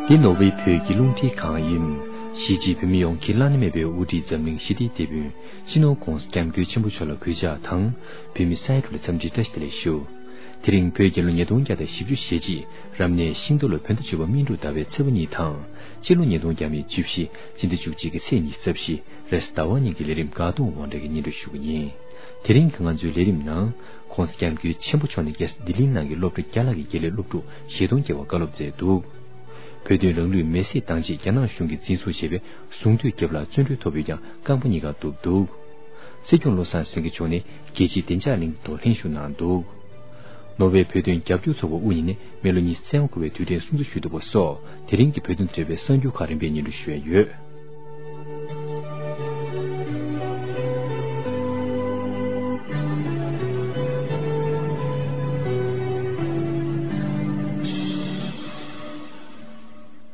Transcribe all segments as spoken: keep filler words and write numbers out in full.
འདི་ནོར་ཝེ་བོད་ཀྱི་རླུང་འཕྲིན་ཁང་ཡིན། གཞིས་བྱེས་བོད་མི་ཡོངས་ཀྱི་བླ་ན་མེད་པའི་དབུ་ཁྲིད་འཛམ་གླིང་ཞི་བདེའི་དེད་དཔོན་སྤྱི་ནོར་༧གོང་ས་༧སྐྱབས་མགོན་ཆེན་པོ་མཆོག་ལ་གུས་ཕྱག་དང་། བོད་མི་ས་ཡ་དྲུག་ལ་འཚམས་འདྲིའི་བཀྲ་ཤིས་བདེ་ལེགས་ཞུ། དེ་རིང་བོད་རྒྱལ་ལོ་ཉིས་སྟོང་བརྒྱ་དང་བཞི་བཅུ་ཞེ་གཅིག་རབ་གནས་ཤིང་རྟ་ལོ་བོད་ཟླ་བཅུ་པ་སྨིན་དྲུག་ཟླ་བའི་ཚེས་པ་གཉིས་དང་། སྤྱི་ལོ་ཉིས་སྟོང་བརྒྱ་མེད་བཅུ་བཞི་སྤྱི་ཟླ་བཅུ་གཅིག་གི་ཚེས་ཉི་ཤུ་རྩ་བཞི་རེས་གཟའ་ཟླ་བ་ཉིན་གྱི་ལས་རིམ་འགག་སྟོང་དབང་གྲགས་ཀྱིས་སྙན་སྒྲོན་ཞུ་གི་ཡིན། དེ་རིང་གི་ང་ཚོའི་ལས་རིམ་ནང་། ༸གོང་ས་༸སྐྱབས་མགོན་ཆེན་པོ་མཆོག་ནས་རྒྱལ་ས་ལྡི་ལིའི་ནང་གི་སློབ་གྲྭ་བརྒྱ་ལྷག་གི་དགེ་ལས་སློབ་ཕྲུག་བཞི་སྟོང་བརྒལ་བར་བཀའ་སློབ་སྩལ་འདུག་བོད་དོན་རང་ལུས་མེར་སྲེག་བཏང་རྗེས་རྒྱ་ནག་གཞུང་གིས་འཛིན་བཟུང་བྱས་པའི་ཟུང་དུས་རྒྱབ་ལ་བཙོན་གྲོལ་ཐོབ་ཡོད་ཀྱང་རྐང་པ་གཉིས་ཀ་གཏུབ་འདུག་སྲིད་སྐྱོང་བློ་བཟང་སེང་གེ་མཆོག་ནས་རྒྱལ་སྤྱིའི་བདེ་འཇགས་གླེང་སྟེགས་ཐོག་ལྷན་ཞུགས་གནང་འདུག་ནོར་ཝེ་བོད་དོན་རྒྱབ་སྐྱོར་ཚོགས་པ་དབུ་བརྙེས་ནས་མི་ལོ་ཉི་ཤུ་རྩ་ལྔ་འཁོར་བའི་དུས་དྲན་སྲུང་བརྩི་ཞུས་འདུག་པ་སོགས་དེ་རིང་གི་བོད་དོན་དང་འབྲེལ་བའི་གསར་འགྱུར་ཁག་རིམ་པས་སྙན་སྒྲོན་ཞུ་ཡ་ཡོད།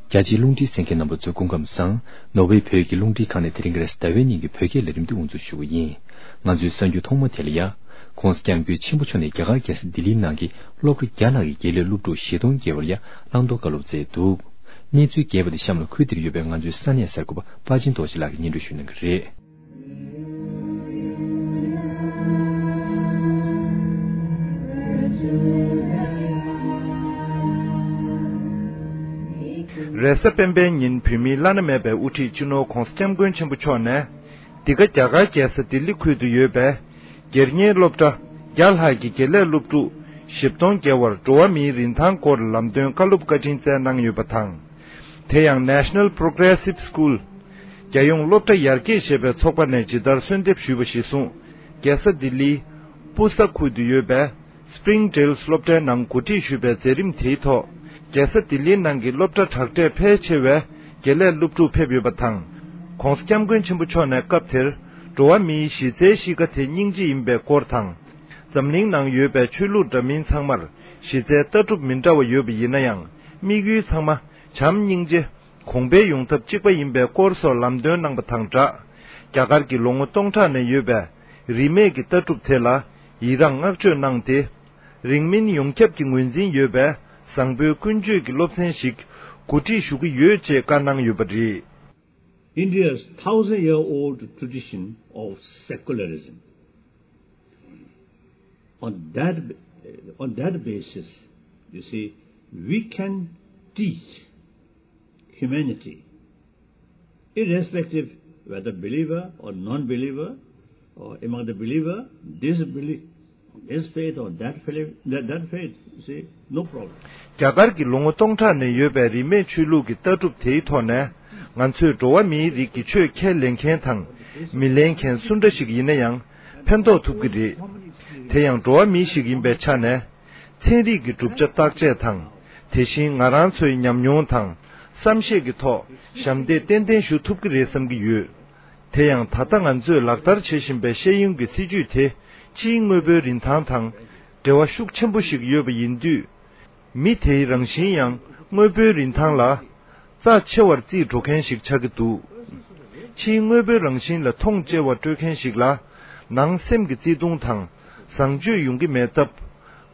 རྒྱ་ཆེའི་རླུང་འཕྲིན་གསན་མཁན་རྣམ་པ་ཚོ་སྐུ་ཁམས་བཟང་། ནོར་ཝེ་བོད་ཀྱི་རླུང་འཕྲིན་ཁང་ནས་དེ་རིང་གི་རེས་གཟའ་ཟླ་བའི་ཉིན་གྱི་བོད་སྐད་ལས་རིམ་འདི་དབུ་འཛུགས་ཞུ་གི་ཡིན། ང་ཚོའི་གསར་འགྱུར་ཐོག་མ་དེ་ལ་ཡ། ༸གོང་ས་༸སྐྱབས་མགོན་ཆེན་པོ་མཆོག་ནས་རྒྱ་གར་རྒྱལ་ས་ལྡི་ལིའི་ནང་གི་སློབ་གྲྭ་བརྒྱ་ལྷག་གི་དགེ་ལས་སློབ་ཕྲུག་བཞི་སྟོང་བརྒལ་བར་ཡ་བླང་དོར་བཀའ་སློབ་སྩལ་འདུག་གནས་ཚུལ་རྒྱས་པ་དེ་གཤམ་ལ་ཁུལ་དེར་ཡོད་པའི་ང་ཚོའི་ས་གནས་གསར་འགོད་པ་དཔའ་ཆེན་རྡོ་རྗེ་ལགས་ཀྱིས་སྙན་སྒྲོན་ཞུ་གནང་གི་རེད། རེས་གཟའ་སྤེན་པའི་ཉིན་བོད་མིའི་བླ་ན་མེད་པའི་དབུ་ཁྲིད་སྤྱི་ནོར་༸གོང་ས་༸སྐྱབས་མགོན་ཆེན་པོ་མཆོག་ནས། འདི་ག་རྒྱ་གར་རྒྱལ་ས་ལྡི་ལི་ཁུལ་དུ་ཡོད་པའི་སྒེར་གཉེར་སློབ་གྲྭ་བརྒྱ་ལྷག་གི་དགེ་ལས་སློབ་ཕྲུག་བཞི་སྟོང་བརྒལ་བར་འགྲོ་བ་མིའི་རིན་ཐང་སྐོར་ལམ་སྟོན་བཀའ་སློབ་བཀའ་དྲིན་སྩལ་གནང་ཡོད་པ་དང་། དེ་ཡང་National Progressive School། རྒྱལ་ཡོངས་སློབ་གྲྭ་ཡར་རྒྱས་ཞེས་པའི་ཚོགས་པ་ནས་ཇི་ལྟར་གསོལ་འདེབས་ཞུས་པ་གཞིར་བཟུང་། རྒྱལ་ས་ལྡི་ལིའི་པུ་ས་ཁུལ་དུ་ཡོད་པའི་Spring Trails སློབ་གྲྭའི་ནང་གོ་སྒྲིག་ཞུས་པའི་མཛད་རིམ་དེའི་ཐོག་རྒྱལ་ས་ལྡི་ལིའི་ནང་གི་སློབ་གྲྭ་དྲག་གྲས་ཕལ་ཆེ་བའི་དགེ་ལས་སློབ་ཕྲུག་ཕེབས་ཡོད་པ་དང་། ༸གོང་ས་༸སྐྱབས་མགོན་ཆེན་པོ་མཆོག་ནས་སྐབས་དེར་འགྲོ་བ་མིའི་གཞི་རྩའི་གཤིས་ཀ་དེ་སྙིང་རྗེ་ཡིན་པའི་སྐོར་དང་། འཛམ་གླིང་ནང་ཡོད་པའི་ཆོས་ལུགས་འདྲ་མིན་ཚང་མར་གཞི་རྩའི་ལྟ་གྲུབ་མི་འདྲ་བ་ཡོད་པ་ཡིན་ན་ཡང་དམིགས་ཡུལ་ཚང་མ་བྱམས་སྙིང་རྗེ། གོང་འཕེལ་ཡོང་ཐབས་གཅིག་པ་ཡིན་པའི་སྐོར་སོགས་ལམ་སྟོན་གནང་པ་དང་སྦྲགས། རྒྱ་གར་གྱི་ལོ་ངོ་སྟོང་ཕྲག་ནས་ཡོད་པའི་རིས་མེད་ཀྱི་ལྟ་གྲུབ་དེ་ལ་ཡི་རངས་བསྔགས་བརྗོད་གནང་སྟེ། རིང་མིན་ཡོངས་ཁྱབ་ཀྱི་ངོས་འཛིན་ཡོད་པའི་བཟང་པོའི་ཀུན་སྤྱོད་ཀྱི་སློབ་ཚན་ཞིག་གོ་སྒྲིག་ཞུ་གི་ཡོད་ཅེས་བཀའ་གནང་ཡོད་པ་རེད། India's thousand year old tradition of secularism. On that, on that basis, you see, we can teach humanity, irrespective whether believer or non-believer, or among the believer, disbelief, this faith or that faith, that, that faith, you see, no problem. རྒྱ་གར་གྱི་ལོ་ངོ་སྟོང་ཕྲག་ནས་ཡོད་པའི་རིས་མེད་ཆོས་ལུགས་ཀྱི་ལྟ་གྲུབ་དེའི་ཐོག་ནས། ང་ཚོས་འགྲོ་བ་མིའི་རིགས་ཀྱི་ཆོས་ཁས་ལེན་མཁན་དང་མི་ལེན་མཁན་སུ་འདྲ་ཞིག་ཡིན་ན་ཡང་ཕན་ཐོགས་ཐུབ་ཀྱི་རེད། དེ་ཡང་འགྲོ་བ་མི་ཞིག་ཡིན་པའི་ཆ་ནས། ཚན་རིག་གི་གྲུབ་ཆ་བརྟག་དཔྱད་དང་། དེ་བཞིན་ང་རང་ཚོའི་ཉམས་མྱོང་དང་བསམ་ཤེས་ཀྱི་ཐོག་ཞབས་འདེགས་ཏན་ཏན་ཞུ་ཐུབ་ཀྱི་རེད་བསམ་གྱི་ཡོད། དེ་ཡང་ད་ལྟ་ང་ཚོས་ལག་བསྟར་བྱེད་བཞིན་པའི་ཤེས་ཡོན་གྱི་སྲིད་ཇུས་དེ་ཕྱིའི་དངོས་པོའི་རིན་ཐང་དང་འབྲེལ་བ་ཤུགས་ཆེན་པོ་ཞིག་ཡོད་པ་ཡིན་དུས། མི་དེའི་རང་བཞིན་ཡང་དངོས་པོའི་རིན་ཐང་ལ་རྩ་ཆེ་བར་བརྩིས་འགྲོ་མཁན་ཞིག་ཆགས་ཀྱི་འདུག་ཕྱིའི་དངོས་པོའི་རང་བཞིན་ལ་མཐོང་ཆེ་བ་སྤྲོད་མཁན་ཞིག་ལ་ནང་སེམས་ཀྱི་བརྩེ་དུང་དང་བཟང་སྤྱོད་ཡོང་གི་མེད་སྟབས།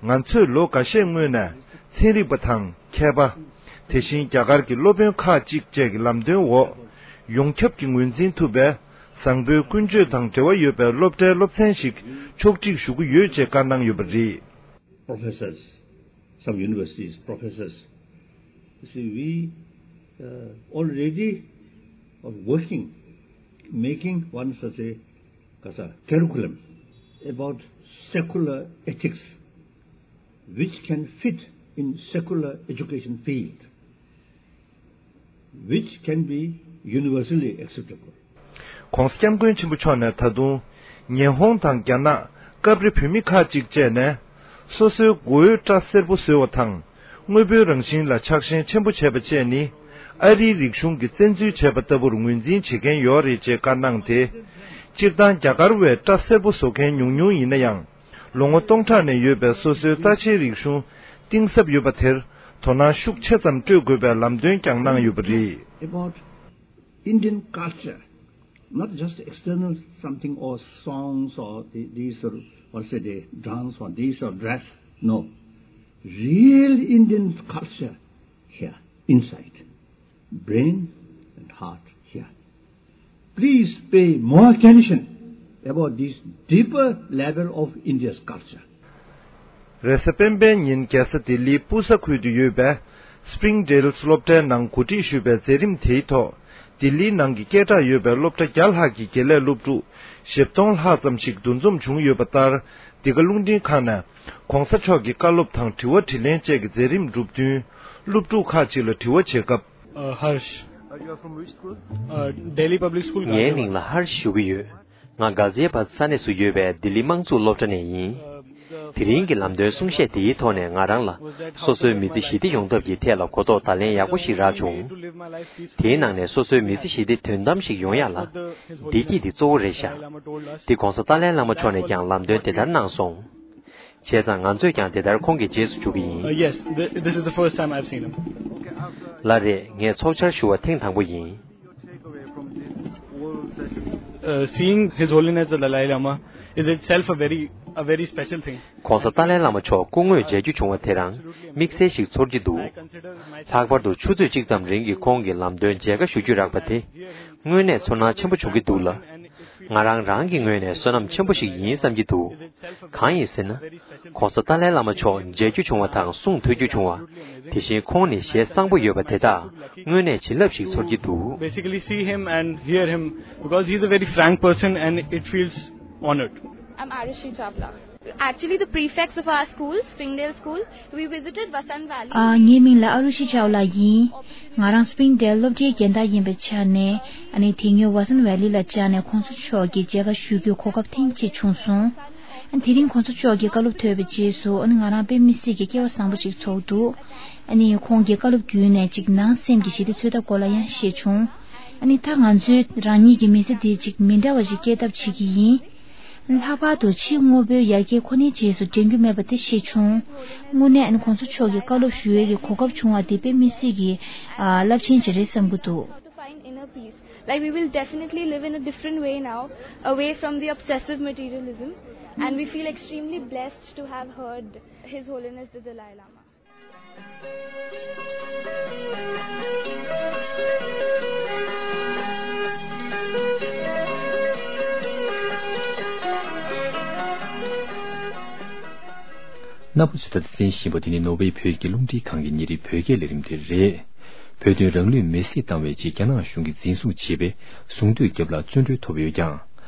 ང་ཚོས་ལོ་འགའ་ཤས་སྔོན་ནས་ཚན་རིག་པ་དང་མཁས་པ། དེ་བཞིན་རྒྱ་གར་གྱི་སློབ་དཔོན་ཁག་ཅིག་བཅས་ཀྱི་ལམ་སྟོན་འོག་ཡོངས་ཁྱབ་ཀྱིས་ངོས་འཛིན་ཐུབ་པའི་བཟང་པོའི་ཀུན་སྤྱོད་དང་འབྲེལ་བ་ཡོད་པའི་སློབ་གྲྭའི་སློབ་ཚན་ཞིག་ཕྱོགས་སྒྲིག་ཞུ་གི་ཡོད་ཅེས་བཀའ་གནང་ཡོད་པ་རེད། Professors, some universities, professors. You see, we uh, already are working, making one such a, as a curriculum about secular ethics, which can fit in secular education field, which can be universally acceptable. ༸གོང་ས་༸སྐྱབས་མགོན་ཆེན་པོ་མཆོག་ནས་ད་དུང་ཉི་ཧོང་དང་རྒྱ་ནག་སྐབས་རེ་བོད་མི་ཁག་ཅིག་བཅས་ནས་སོ་སོའི་མགོ་བོའི་སྐྲ་སེར་པོ་བཟོ་བ་དང་དངོས་པོའི་རང་བཞིན་ལ་ཆགས་ཞེན་ཆེན་པོ་བྱས་པ་བཅས་ནི་ཨ་རིའི་རིག་གཞུང་གིས་བཙན་འཛུལ་བྱས་པ་ལྟ་བུར་ངོས་འཛིན་བྱེད་མཁན་ཡོད་རེད་ཅེས་བཀའ་གནང་སྟེ། སྤྱིར་བཏང་རྒྱ་གར་བས་སྐྲ་སེར་པོ་བཟོ་མཁན་ཉུང་ཉུང་ཡིན་ན་ཡང་། ལོ་ངོ་སྟོང་ཕྲག་ནས་ཡོད་པའི་སོ་སོའི་རྩ་ཆེའི་རིག་གཞུང་གཏིང་ཟབ་ཡོད་པ་དེར་དོ་སྣང་ཤུགས་ཆེ་ཙམ་སྤྲོད་དགོས་པའི་ལམ་སྟོན་ཀྱང་གནང་ཡོད་པ་རེད། About Indian culture, not just external something or songs or the, these or what say they dance or these or dress. No. Real Indian culture here, inside. brain and heart here. Please pay more attention about this deeper level of India's culture. རེས་གཟའ་སྤེན་པའི་ཉིན་རྒྱལ་ས་ལྡི་ལིའི་པུ་ས་ཁུལ་དུ་ཡོད་པའི་སྤྲིང་ཌེལ་སློབ་གྲྭའི་ནང་གོ་སྒྲིག་ཞུས་པའི་མཛད་རིམ་དེའི་ཐོག་ལྡི་ལིའི་ནང་གི་སྐད་གྲགས་ཡོད་པའི་སློབ་གྲྭ་བརྒྱ་ལྷག་གི་དགེ་ལས་སློབ་ཕྲུག་བཞི་སྟོང་ལྷག་ཙམ་ཞིག་འདུ་འཛོམས་བྱུང་ཡོད་པ་ལྟར། འདི་ག་རླུང་འཕྲིན་ཁང་ནས་༧གོང་ས་མཆོག་གི་བཀའ་སློབ་དང་དྲི་བ་དྲིས་ལན་བཅས་ཀྱི་མཛད་རིམ་གྲུབ་བསྟུན། སློབ་ཕྲུག་ཁག་ཅིག་ལ་དྲི་བ་བྱེད་སྐབས། Uh, Harsh. Uh, you are from which school? Uh, Delhi Public School, ངའི་Ghaziabad. མིང་ལ་ཧར་ཞུ་གི་ཡོད། ང་ག་ཛི་ཡ་བཱད་ས་གནས་སུ་ཡོད་པའི་ལྡི་ལི་དམངས་གཙོ་སློབ་གྲྭ་ནས་ཡིན། དེ་རིང་གི་ལམ་སྟོན་གསུང་བཤད་དེའི་ཐོག་ནས་ང་རང་ལ་སོ་སོའི་མི་ཚེ་ཞི་བདེ་ཡོང་ཐབས་ཀྱི་ཐད་ལ་གོ་རྟོགས་བརྡ་ལན་ཡག་པོ་ཞིག་རག་བྱུང་། དེའི་ནང་ནས་སོ་སོའི་མི་ཚེ་ཞི་བདེ་དོན་དམ་ཞིག་ཡོང་ཡག་ལ། བདེ་སྐྱིད་དེ་གཙོ་བོ་རེད་ཤག་དེ་༧གོང་ས་ཏཱ་ལའི་བླ་མ་མཆོག་ནས་ཀྱང་ལམ་སྟོན་དེ་ལྟར་གནང་སོང་། བྱས་ཙང་ང་ཚོས་ཀྱང་དེ་ལྟར་ཁོང་གི་རྗེས་སུ་འཇུག་གི་ཡིན། Uh, yes, th- this is the first time I've seen him. ལགས་རེད། ངས་ཚོགས་བཅར་ཞུ་བ་ཐེངས་དང་པོ་ཡིན། Uh, seeing His Holiness the Dalai Lama is itself a very, a very special thing. ༧གོང་ས་ཏཱ་ལའི་བླ་མ་མཆོག་སྐུ་དངོས་མཇལ་རྒྱུ་བྱུང་བ་དེ་རང་དམིགས་བསལ་ཞིག་ཚོར་གྱི་འདུག་ལྷག་པར་དུ་ཆུ་ཚོད་གཅིག་ཙམ་རིང་གི་ཁོང་གི་ལམ་སྟོན་མཇལ་ཁ་ཞུ་རྒྱུ་རག་པ་དེ་དངོས་གནས་ཚོར་སྣང་ཆེན་པོ་བྱུང་གི་འདུག་ལ། ང་རང་རང་གི་ངོས་ནས་བསོད་ནམས་ཆེན་པོ་ཞིག་ཡིན་བསམ་གྱི་འདུག་གང་ཡིན་ཟེར་ན། ༧གོང་ས་ཏཱ་ལའི་བླ་མ་མཆོག་མཇལ་རྒྱུ་བྱུང་བ་དང་གསུང་ཐོས་རྒྱུ་བྱུང་བ། དེ་བཞིན་ཁོང་ནི་ཞལ་བཟང་པོ་ཡོད་པ་དེ་དག་དངོས་གནས་བྱིན་རླབས་ཤིག་ཚོར་གྱི་འདུག Basically, see him and hear him because he's a very frank person and it feels honored. I'm Arushi Chawla. Actually, the prefects of our school, Springdale School, we visited Vasant Valley. ཨ། ངའི་མིང་ལ་ཨ་རུ་ཤི་ཆའོ་ལགས་ཡིན། ང་རང་སྤྲིང་ཌེལ་སློབ་གྲྭའི་རྒན་བདག་ཡིན་པའི་ཆ་ནས། ཨ་ནི་དེ་སྔོན་ཝ་སན་ཝེ་ལི་ལ་བཅར་ནས་༸གོང་ས་མཆོག་གི་མཇལ་ཁ་ཞུ་རྒྱུའི་གོ་སྐབས་ཐེངས་གཅིག་བྱུང་སོང་། ཨ་ནི་དེ་རིང་༸གོང་ས་མཆོག་གི་བཀའ་སློབ་ཐོས་པའི་རྗེས་སུ། ཨ་ནི་ང་རང་དཔེ་མི་སྲིད་ཀྱི་སྐལ་བ་བཟང་པོ་ཅིག་ཚོར་འདུག་ཨ་ནི་ཁོང་གི་བཀའ་སློབ་བརྒྱུད་ནས་ཅིག་ནང་སེམས་ཀྱི་ཞི་བདེ་འཚོལ་ཐབས་སྐོར་ལ་ཡང་བཤད་བྱུང་། ཨ་ནི་ད་ང་ཚོས་རང་ཉིད་ཀྱི་མི་ཚེ་འདི་ཅིག་མི་འདྲ་བ་ཞིག་སྐྱེལ་ཐབས་བྱེད་ཀྱི་ཡིན། ལྷག་པར་དུ་ཕྱི་དངོས་པོའི་ཡར་རྒྱས་ཁོ་ནའི་རྗེས་སུ་འབྲང་རྒྱུ་མེད་པ་དེ་ཤེས་བྱུང་། དངོས་གནས་ཨ་ནི་༸གོང་ས་མཆོག་གི་བཀའ་སློབ་ཞུ་ཡས་ཀྱི་གོ་སྐབས་བྱུང་བ་དེ་དཔེ་མི་སྲིད་ཀྱི་ཨ་རླབས་ཆེན་ཞིག་རེད་བསམ་གྱི་འདུག To find inner peace. Like, we will definitely live in a different way now, away from the obsessive materialism, and we feel extremely blessed to have heard His Holiness the Dalai Lama. རྣམ་པ་ཚོས་ད་ལྟ་གསན་བཞིན་པ་དེ་ནི་ནོར་ཝེ་བོད་ཀྱི་རླུང་འཕྲིན་ཁང་གི་ཉིན་རེའི་བོད་སྐད་ལས་རིམ་དེ་རེད། བོད་དོན་རང་ལུས་མེར་སྲེག་བཏང་བའི་རྗེས་རྒྱ་ནག་གཞུང་གིས་འཛིན་བཟུང་བྱས་པའི་གཟུངས་བསྟོད་རྒྱབ་ལ་བཙོན་གྲོལ་ཐོབ་ཡོད་ཀྱང་།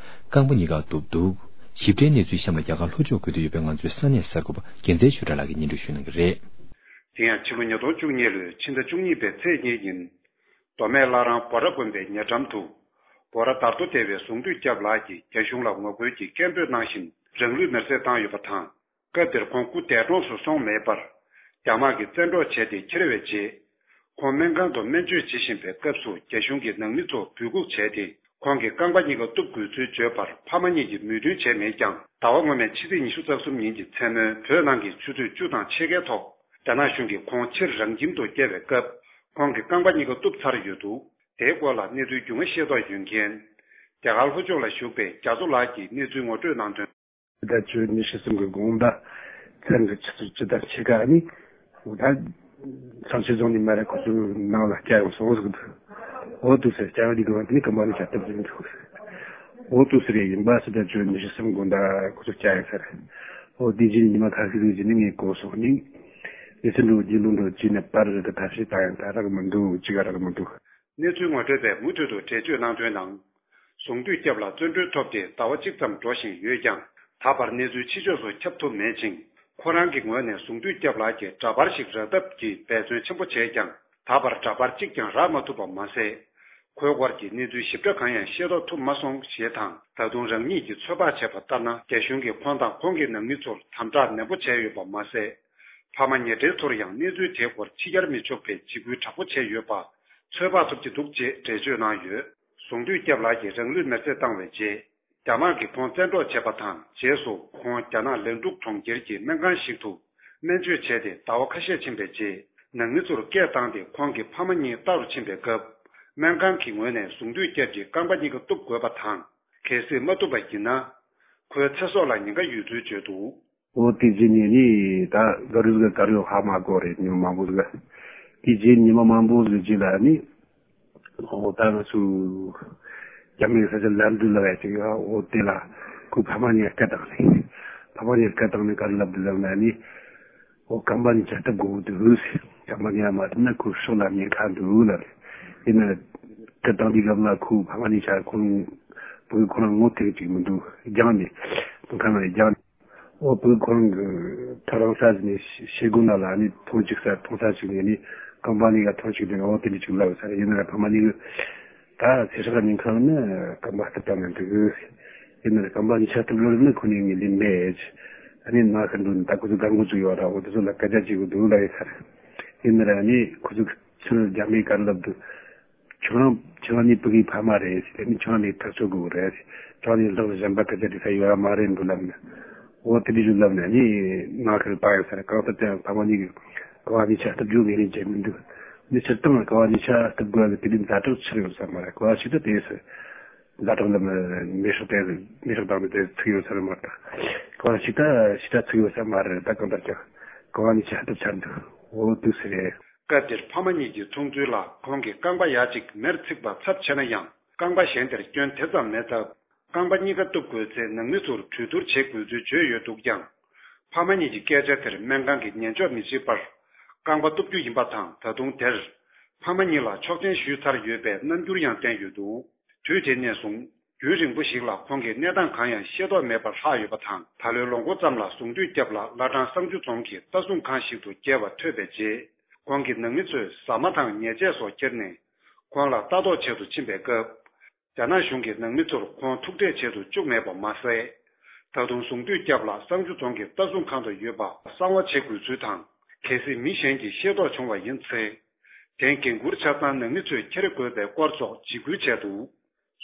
རྐང་པ་གཉིས་ཀ་གཏུབ་འདུག་ཞིབ་ཕྲའི་གནས་ཚུལ་གཤམ་ལ་རྒྱ་གར་ལྷོ་ཕྱོགས་ཁུལ་དུ་ཡོད་པའི་ང་ཚོའི་ས་གནས་གསར་འགོད་པ་རྒྱལ་མཚན་ཆོས་གྲགས་ལགས་ཀྱིས་སྙན་སྒྲོན་ཞུ་གནང་གི་རེད། དེ་ཡང་ཕྱི་ལོ་ཉིས་སྟོང་བཅུ་གཉིས་ལོའི་ཕྱི་ཟླ་བཅུ་གཉིས་པའི་ཚེས་གཉིས་ཉིན། མདོ་སྨད་བླ་བྲང་འབོ་ར་དགོན་པའི་ཉེ་འགྲམ་དུ། འབོ་ར་དར་མདོ་སྡེ་བའི་གཟུངས་བསྟོད་རྒྱབ་ལགས་ཀྱིས་རྒྱ་གཞུང་ལ་ངོ་རྒོལ་གྱི་སྐད་འབོད་གནང་བཞིན་རང་ལུས་མེར་སྲེག་བཏང་ཡོད་པ་དང་། སྐབས་དེར་ཁོང་སྐུ་འདས་གྲོངས་སུ་སོང་མེད་པར། རྒྱ་དམག་གིས་བཙན་འཕྲོག་བྱས་ཏེ་འཁྱེར་བའི་རྗེས། ཁོང་སྨན་ཁང་དུ་སྨན་བཅོས་བྱེད་བཞིན་པའི་སྐབས་སུ་རྒྱ་གཞུང་གིས་ནང་མི་ཚོ་འབོད་འགུག་བྱས་ཏེ། ཁོང་གི་རྐང་པ་གཉིས་ཀ་གཏུབ་དགོས་ཚུལ་བརྗོད་པར་ཕ་མ་གཉིས་ཀྱིས་མོས་མཐུན་བྱས་མེད་ཀྱང་། ཟླ་བ་སྔོན་མའི་ཕྱི་ཚེས་ཉི་ཤུ་རྩ་གསུམ་ཉིན་གྱི་མཚན་མོའི་བོད་ནང་གི་ཆུ་ཚོད་བཅུ་དང་ཕྱེད་ཀའི་ཐོག་རྒྱ་ནག་གཞུང་གིས་ཁོང་ཕྱིར་རང་ཁྱིམ་དུ་བསྐྱལ་བའི་སྐབས། ཁོང་གི་རྐང་པ་གཉིས་ཀ་གཏུབ་ཚར་ཡོད་འདུག་དེའི་སྐོར་ལ་གནས་ཚུལ་རྒྱུས་མངའ་ཤེས་རྟོགས་ཡོད་མཁན། རྒྱ་གར་ལྷོ་ཕྱོགས་ལ་བཞུགས་པའི་རྒྱ་མཚོ་ལགས་ཀྱིས་གནས་ཚུལ་ངོ་སྤྲོད་གནང་དོན། ཕྱི་ཟླ་བཅུ་ཉི་ཤུ་གསུམ་གྱི་དགོང་དག་མཚན་གྱི་ཆུ་ཚོད་བཅུ་དང་ཕྱེད་ཀ་ནི། འོ་ད། ཚངས་སྤྱོད་རྫོང་ནས་མ་རེད་ཁོ་ཚོའི་ནང་ལ་བསྐྱལ་ཡོང་སོང་ཟིག་འདུག་འོ་དུ་ཟེར་སྐྱ་བ་འདི་གི་བ་དེ་ནི་ཀམ་པ་ནི་བྱ་ཐབས་ཟིན་འདུག་འོ་དུ་ཟེར་ཡིན་པ་ཕྱི་ཟླ་བཅུ་ཉི་ཤུ་གསུམ་དགོང་དག་ཁོ་ཚོ་བསྐྱལ་ཡོང་ས་རེད། འོ་དེ་རྗེས་ཉི་མ་ཁ་ཤས་ཟིག་རྗེས་ནི་ངས་གོ་སོང་ནི། ལི་ཚན་འགྲོ་རྒྱུ་ལུང་འགྲོ་རྒྱུ་ནས་པར་རེད་ད་ཐབས་ཤེས་ད་ཡང་ད་རག་མི་འདུག་ཅི་ག་རག་མི་འདུག་གནས་ཚུལ་ངོ་སྤྲོད་པས་མུ་མཐུད་དུ་འགྲེལ་བརྗོད་གནང་དོན་ནང་། གཟུངས་བསྟོད་སྐྱབས་ལ་བཙོན་གྲོལ་ཐོབ་སྟེ་ཟླ་བ་གཅིག་ཙམ་འགྲོ་བཞིན་ཡོད་ཀྱང་། ད་བར་གནས་ཚུལ་ཕྱི་ཕྱོགས་སུ་ཁྱབ་ཐུབ་མེད་ཅིང་། ཁོ་རང་གི་ངོས་ནས་གཟུངས་བསྟོད་སྐྱབས་ལགས་ཀྱི་འདྲ་པར་ཞིག་རག་ཐབས་ཀྱི་འབད་བརྩོན་ཆེན་པོ་བྱས་ཀྱང་། ད་བར་འདྲ་པར་གཅིག་ཀྱང་རག་མ་ཐུབ་པ་མ་ཟད། ཁོའི་སྐོར་གྱི་གནས་ཚུལ་ཞིབ་ཕྲ་གང་ཡང་ཤེས་རྟོགས་ཐུབ་མ་སོང་ཞེས་དང་། ད་དུང་རང་ཉིད་ཀྱིས་ཚོད་དཔག་བྱས་པ་ལྟར་ན། རྒྱ་གཞུང་གིས་ཁོང་དང་ཁོང་གི་ནང་མི་ཚོར་དམ་དྲག་ནན་པོ་བྱས་ཡོད་པ་མ་ཟད། ཕ་མ་ཉེ་འབྲེལ་ཚོར་ཡང་གནས་ཚུལ་དེའི་སྐོར་ཕྱི་གྱར་མི་ཆོག་པའི་འཇིགས་སྐུལ་དྲག་པོ་བྱས་ཡོད་པ་ཚོད་དཔག་ཐུབ་ཀྱི་འདུག་ཅེས་འགྲེལ་བརྗོད་གནང་ཡོད། གཟུངས་བསྟོད་སྐྱབས་ལགས་ཀྱིས་རང་ལུས་མེར་སྲེག་བཏང་བའི་རྗེས། རྒྱ་དམག་གིས་ཁོང་བཙན་འཕྲོག་བྱས་པ་དང་། རྗེས་སུ་ཁོང་རྒྱ་ནག་ལན་ཀྲུག་གྲོང་ཁྱེར་གྱི་སྨན་ཁང་ཞིག་ཏུ་སྨན་བཅོས་བྱས་ཏེ་ཟླ་བ་ཁ་ཤས་ཕྱིན་པའི་རྗེས། ནང་མི་ཚོར་སྐད་བཏང་སྟེ་ཁོང་གི་ཕ་མ་གཉིས་ལྟ་རུ་ཕྱིན་པའི་སྐབས། སྨན་ཁང་གི་ངོས་ནས་གཟུངས་བསྟོད་སྐྱབས་ཀྱི་རྐང་པ་གཉིས་ཀ་གཏུབ་དགོས་པ་དང་། གལ་སྲིད་མ་གཏུབ་པ་ཡིན་ན། ཁོའི་ཚེ་སྲོག་ལ་ཉེན་ཁ་ཡོད་ཚུལ་བརྗོད་འདུག་འོ་དེ་རྗེས་ནས་ནི་ད་ག་རུ་ཟིག་ག་རུ་ཧ་མ་གོ་རེད་ཉི་མ་མང་པོ་ཟིག་དེ་རྗེས་ཉི་མ་མང་པོ་ཟིག་རྗེས་ལ་ནི། ཨོ་ད་ང་ཚོ་རྒྱ་མིའི་ས་ཆ་ལམ་འགྲུལ་ལ་ཡ་ཅིག་ཡོད། ཨོ་དེ་ལ་ཁོ་ཕ་མ་གཉིས་སྐད་བཏང་ནས། ཕ་མ་གཉིས་སྐད་བཏང་ནས་ག་རེ་ལབ་འདུག་ལབ་ན་ནི། ཨོ་ཀམ་པ་གཉིས་ཆ་སྟབས་གོ་འདུག། ཀམ་པ་གཉིས་མ་བཏབ་ན་ཁོ་ཕྱོགས་ལ་ཉེན་ཁ་འདུག་ལབ་རེད། ཡིན་ན་སྐད་བཏང་དུས་སྐབས་ལ་ཁོ་ཕ་མ་གཉིས་ཆ་ཁོ་རང་བུ་ཁོ་རང་ངོ་ཐེངས་གཅིག་མི་འདུག། རྒྱང་ནས་དུང་ཁ་ནང་རྒྱང་ནས། ཨོ་བུ་ཁོ་རང་གི་ཐོ་རངས་ས་ཟིན་ནས་ཤེལ་སྒོ་ནང་ལ་ནི་ཐོང་ཅིག་ས་ཐོང་ས་ཅིག་ནས་ནི་ཀམ་པ་གཉིས་ཀ་ཐོང་ཅིག་ནས་ཨོ་དེ་འདྲ་ཅིག་ལབ་ས་རེད། ཡིན་ན་ཕ་མ་གཉིས་ཀྱི་ད་ཚེ་སྲོག་ཉེན་ཁ་ནི་ཀམ་པ་སྟབས་བཏང་ནས་འདུག། ཡིན་ན་ཀམ་པ་གཉིས་ཆ་སྟབས་ལོག་ནི་ཁོ་ནི་ངས་ལེན་མེད། ཨ་ནི་ན་ཁ་འདུག་ད་ཁོ་ཚོ་གང་དགོས་ཚུལ་ཡོད་ར། འོ་དེ་ཚོ་ལ་སྐད་ཆ་བྱེད་དགོས་འདུག་ལབ་ཡོད་ས་རེད། ཡིན་ན་ར་ནི་ཁོ་ཚོ་ཚུར་རྒྱ་མིས་ག་རེ་ལབ་འདུག། ཁྱོད་རང་ཁྱོད་རང་ནི་བུ་གི་ཕ་མ་རེད་ཟེར་ནི་ཁྱོད་རང་ནི་ཐག་གཅོད་དགོས་རེད་ཟེར། ཁྱོད་རང་ནི་ལག་གཞན་པ་སྐད་ཆ་དྲི་ས་ཡོད་ར་མ་རེད་འདུག་ལབ་ནས། འོ་དེ་འདྲ་ཞིག་ལབ་ནས་ནི་ང་ཁ་རུ་བཏང་ཡོད་ས་རེད། གང་ལྟར་ཀྱང་ཕ་མ་གཉིས་ཀྱི་ཀམ་པ་གཉིས་ཆ་སྟབས་བཅུག་ངེས་ལེན་བྱས་མི་འདུག། ནི་སྤྱིར་བཏང་ཀམ་པ་གཉིས་ཆ་སྟབས་དགོས་ཡ་གི་དེ་འདྲའི་ཛ་དྲག་ཆགས་ཡོད་ས་མ་རེད། གོ་བ་ཞིག་ཏུ་དེ་ཟེར། ཛ་དྲག་ལ་མེ་སྲེག་དེ་མེ་སྲེག་བཏང་ནས་དེ་ཚུགས་ཡོད་ས་རེད་མ་གཏོགས། གོ་བ་ཞིག་ད་ཞིག་ད་ཚུགས་ཡོད་ས་མ་རེད། ད་གང་ལྟར་ཀྱང་ཀམ་པ་གཉིས་ཆ་སྟབས་ཆགས་འདུག། འོ་འདུག་ཟེར་རེད། སྐབས་དེར་ཕ་མ་གཉིས་ཀྱི་ཚོང་ཚུལ་ལ་ཁོང་གིས་རྐང་པ་ཡ་གཅིག་མེར་ཚིག་པ་ཚབས་ཆེ་ན་ཡང་རྐང་པ་གཞན་དེར་སྐྱོན་དེ་ཙམ་མེད་སྟབས། རྐང་པ་གཉིས་ཀ་གཏུབ་དགོས་ཚེ་ནང་མི་ཚོར་གྲོས་བསྡུར་བྱེད་དགོས་ཚུལ་བརྗོད་ཡོད་འདུག་ཀྱང་། ཕ་མ་གཉིས་ཀྱི་སྐད་ཆ་དེར་སྨན་ཁང་གིས་ཉན་འཇོག་མི་བྱེད་པར། རྐང་པ་གཏུབ་རྒྱུ་ཡིན་པ་དང་། ད་དུང་དེར་ཕ་མ་གཉིས་ལ་ཆོག་མཆན་ཞུས་ཚར་ཡོད་པའི་རྣམ་འགྱུར་ཡང་བསྟན་ཡོད་འདུག། དུས་དེ་ནས་བཟུང་རྒྱུན་རིང་པོ་ཞིག་ལ་ཁོང་གིས་གནས་སྟངས་གང་ཡང་ཤེས་རྟོགས་མེད་པར་ལྷག་ཡོད་པ་དང་། ད་ལོའི་ལོ་འགོ་ཙམ་ལ་གཟུངས་འདུས་སྐྱབས་ལགས་བླ་བྲང་གསང་ཆུ་རྫོང་གི་ལྟ་སྲུང་ཁང་ཞིག་ཏུ་བསྐྱལ་བ་ཐོས་པའི་རྗེས། ཁོང་གི་ནང་མི་ཚོས་ཟ་མ་དང་ཉལ་ཆས་སོགས་ཁྱེར་ནས་ཁོང་ལ་ལྟ་རྟོག་བྱེད་དུ་ཕྱིན་པའི་སྐབས། རྒྱ་ནག་གཞུང་གིས་ནང་མི་ཚོར་ཁོང་ཐུག་འཕྲད་བྱེད་དུ་བཅུག་མེད་པ་མ་ཟད། ད་དུང་གཟུངས་འདུས་སྐྱབས་ལགས་གསང་ཆུ་རྫོང་གི་ལྟ་སྲུང་ཁང་དུ་ཡོད་པ་གསང་བ་བྱེད་དགོས་ཚུལ་དང་། གལ་སྲིད་མི་གཞན་གྱིས་ཤེས་རྟོགས་བྱུང་བ་ཡིན་ཚེ། དེང་འགན་འཁུར་ཆ་ཚང་ནང་མི་ཚོས་འཁྱེར་དགོས་པའི་སྐོར་སོགས་འཇིགས་སྐུལ་བྱས་འདུག།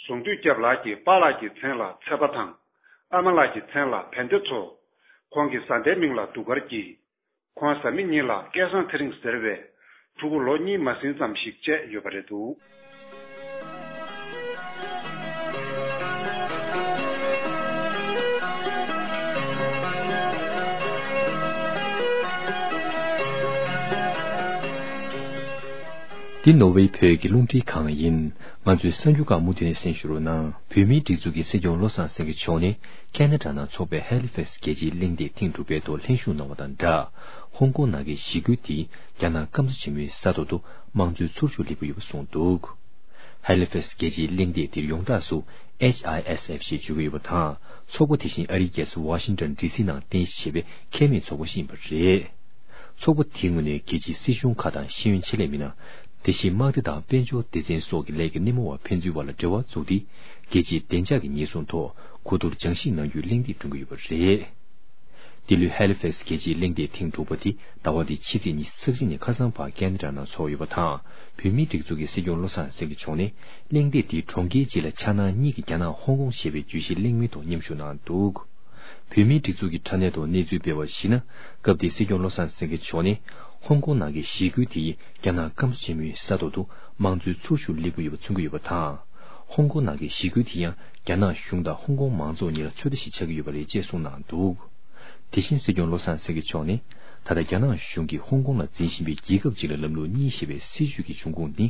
གཟུངས་འདུས་སྐྱབས་ལགས་ཀྱིས་པཱ་ལགས་ཀྱི་མཚན་ལ་ཚེ་པ་དང་། ཨ་མ་ལགས་ཀྱི་མཚན་ལ་བན་དེ་མཚོ། ཁོང་གི་བཟའ་ཟླའི་མིང་ལ་གདུགས་དཀར་གྱིས། ཁོང་བཟའ་མི་གཉིས་ལ་སྐལ་བཟང་ཚེ་རིང་ཟེར་བའི་ཕྲུ་གུ་ལོ་གཉིས་མ་ཟིན་ཙམ་ཞིག་བཅས་ཡོད་པ་རེད་འདུག། འདི་ནོར་ཝེ་བོད་ཀྱི་རླུང་འཕྲིན་ཁང་ཡིན། ང་ཚོའི་གསར་འགྱུར་ཁག་མུ་མཐུད་ནས་གསན་ཞུ་རོགས་གནང་། བོད་མིའི་སྒྲིག་འཛུགས་ཀྱི་སྲིད་སྐྱོང་བློ་བཟང་སེང་གེ་མཆོག་ནི། ཁེ་ན་ཌ་ནང་འཚོགས་པའི་ཧེ་ལི་ཕེག་སི་རྒྱལ་སྤྱིའི་གླེང་སྟེགས་ཐེངས་དྲུག་པའི་ཐོག་ལྷན་ཞུགས་གནང་བ་དང་སྦྲགས། ཧོང་ཀོང་ནང་གི་ཞི་རྒོལ་དེ་རྒྱ་ནག་སྐམ་ས་ཆེན་མོའི་ས་ཐོག་ཏུ་དམངས་གཙོའི་ཚོར་ཤུགས་སླེབས་ཀྱི་ཡོད་པ་གསུངས་འདུག། ཧེ་ལི་ཕེག་སི་རྒྱལ་སྤྱིའི་གླེང་སྟེགས་དེར་ཡོངས་གྲགས་སུ་ཨེཆ་ཨའི་ཨེས་ཨེཕ་ཞེས་བརྗོད་ཀྱི་ཡོད་པ་དང་། ཚོགས་པ་དེ་བཞིན་ཨ་རིའི་རྒྱལ་ས་ཝ་ཤིང་ཏོན་ཌི་སི་ནང་རྟེན་གཞི་བྱས་པའི་ཁེ་མེད་ཚོགས་པ་ཞིག་ཡིན་པ་རེད། ཚོགས་པ་དེའི་ངོས་ནས་རྒྱལ་སྤྱིའི་སྲིད་གཞུང་ཁག་དང་ཤེས་ཡོན་ཆེད་ལས་མི་སྣ། དེ་བཞིན་དམག་སྡེ་དང་དཔལ་འབྱོར་སྡེ་ཚན་སོགས་ཀྱི་ལས་ཀྱི་སྣེ་མོ་བ་ཕན་ཚུན་བར་ལ་འབྲེལ་བ་བཙུགས་ཏེ། རྒྱལ་སྤྱིའི་བདེ་འཇགས་ཀྱི་ཉེན་སྲུང་ཐོག་གོ་བསྡུར་སྦྱང་ཞིབ་གནང་རྒྱུའི་གླེང་སྟེགས་བསྐྲུན་གྱི་ཡོད་པ་རེད། འདི་ལོའི་ཧེ་ལི་ཕེག་སི་རྒྱལ་སྤྱིའི་གླེང་སྟེགས་ཐེངས་དྲུག་པ་དེ་ཟླ་བ་འདིའི་ཕྱི་ཚེས་ཉི་ཤུ་རྩ་གཅིག་ནས་ཁ་སང་བར་ཁེ་ན་ཌ་ནང་འཚོགས་ཡོད་པ་དང་། བོད་མིའི་སྒྲིག་འཛུགས་ཀྱི་སྲིད་སྐྱོང་བློ་བཟང་སེང་གེ་མཆོག་ནི། གླེང་སྟེགས་འདིའི་གྲོང་ཁྱེར་སྤྱི་ལ་འཆར་སྣང་གཉིས་ཀྱི་རྒྱ་ནག་ཧོང་ཀོང་ཞེས་པའི་བརྗོད་གཞིའི་གླེང་མོལ་ཐོག་མཉམ་ཞུགས་གནང་འདུག། བོད་མིའི་སྒྲིག་འཛུགས་ཀྱི་དྲ་གནས་ཐོག་གནས་ཚུལ་སྤེལ་བར་གཞིགས་ན། སྐབས་དེའི་སྲིད་སྐྱོང་བློ་བཟང་སེང་གེ་མཆོག་ནི། ཧོང་ཀོང་ནང་གི་ཞི་རྒོལ་དེ་ཡིས་རྒྱ་ནག་སྐམ་ས་ཆེན་མོའི་ས་ཐོག་ཏུ་དམངས་གཙོའི་ཚོར་ཤུགས་སླེབས་ཀྱི་ཡོད་པ་མཚོན་གྱི་ཡོད་པ་དང་། ཧོང་ཀོང་ནང་གི་ཞི་རྒོལ་དེ་ཡང་རྒྱ་ནག་གཞུང་དང་ཧོང་ཀོང་མང་ཚོགས་གཉིས་ལ་ཚོད་ལྟ་ཞིག་ཆགས་ཀྱི་ཡོད་པ་རེད་ཅེས་གསུངས་གནང་འདུག། དེ་བཞིན་སྲིད་སྐྱོང་བློ་བཟང་སེང་གེ་མཆོག་ནི། ད་ལྟ་རྒྱ་ནག་གཞུང་གིས་ཧོང་ཀོང་ལ་འཛིན་བཞིན་པའི་རྒྱལ་ཁབ་ཅིག་ལ་ལམ་ལུགས་གཉིས་ཞེས་པའི་སྲིད་བྱུས་ཀྱི་འབྱུང་ཁུངས་ནི།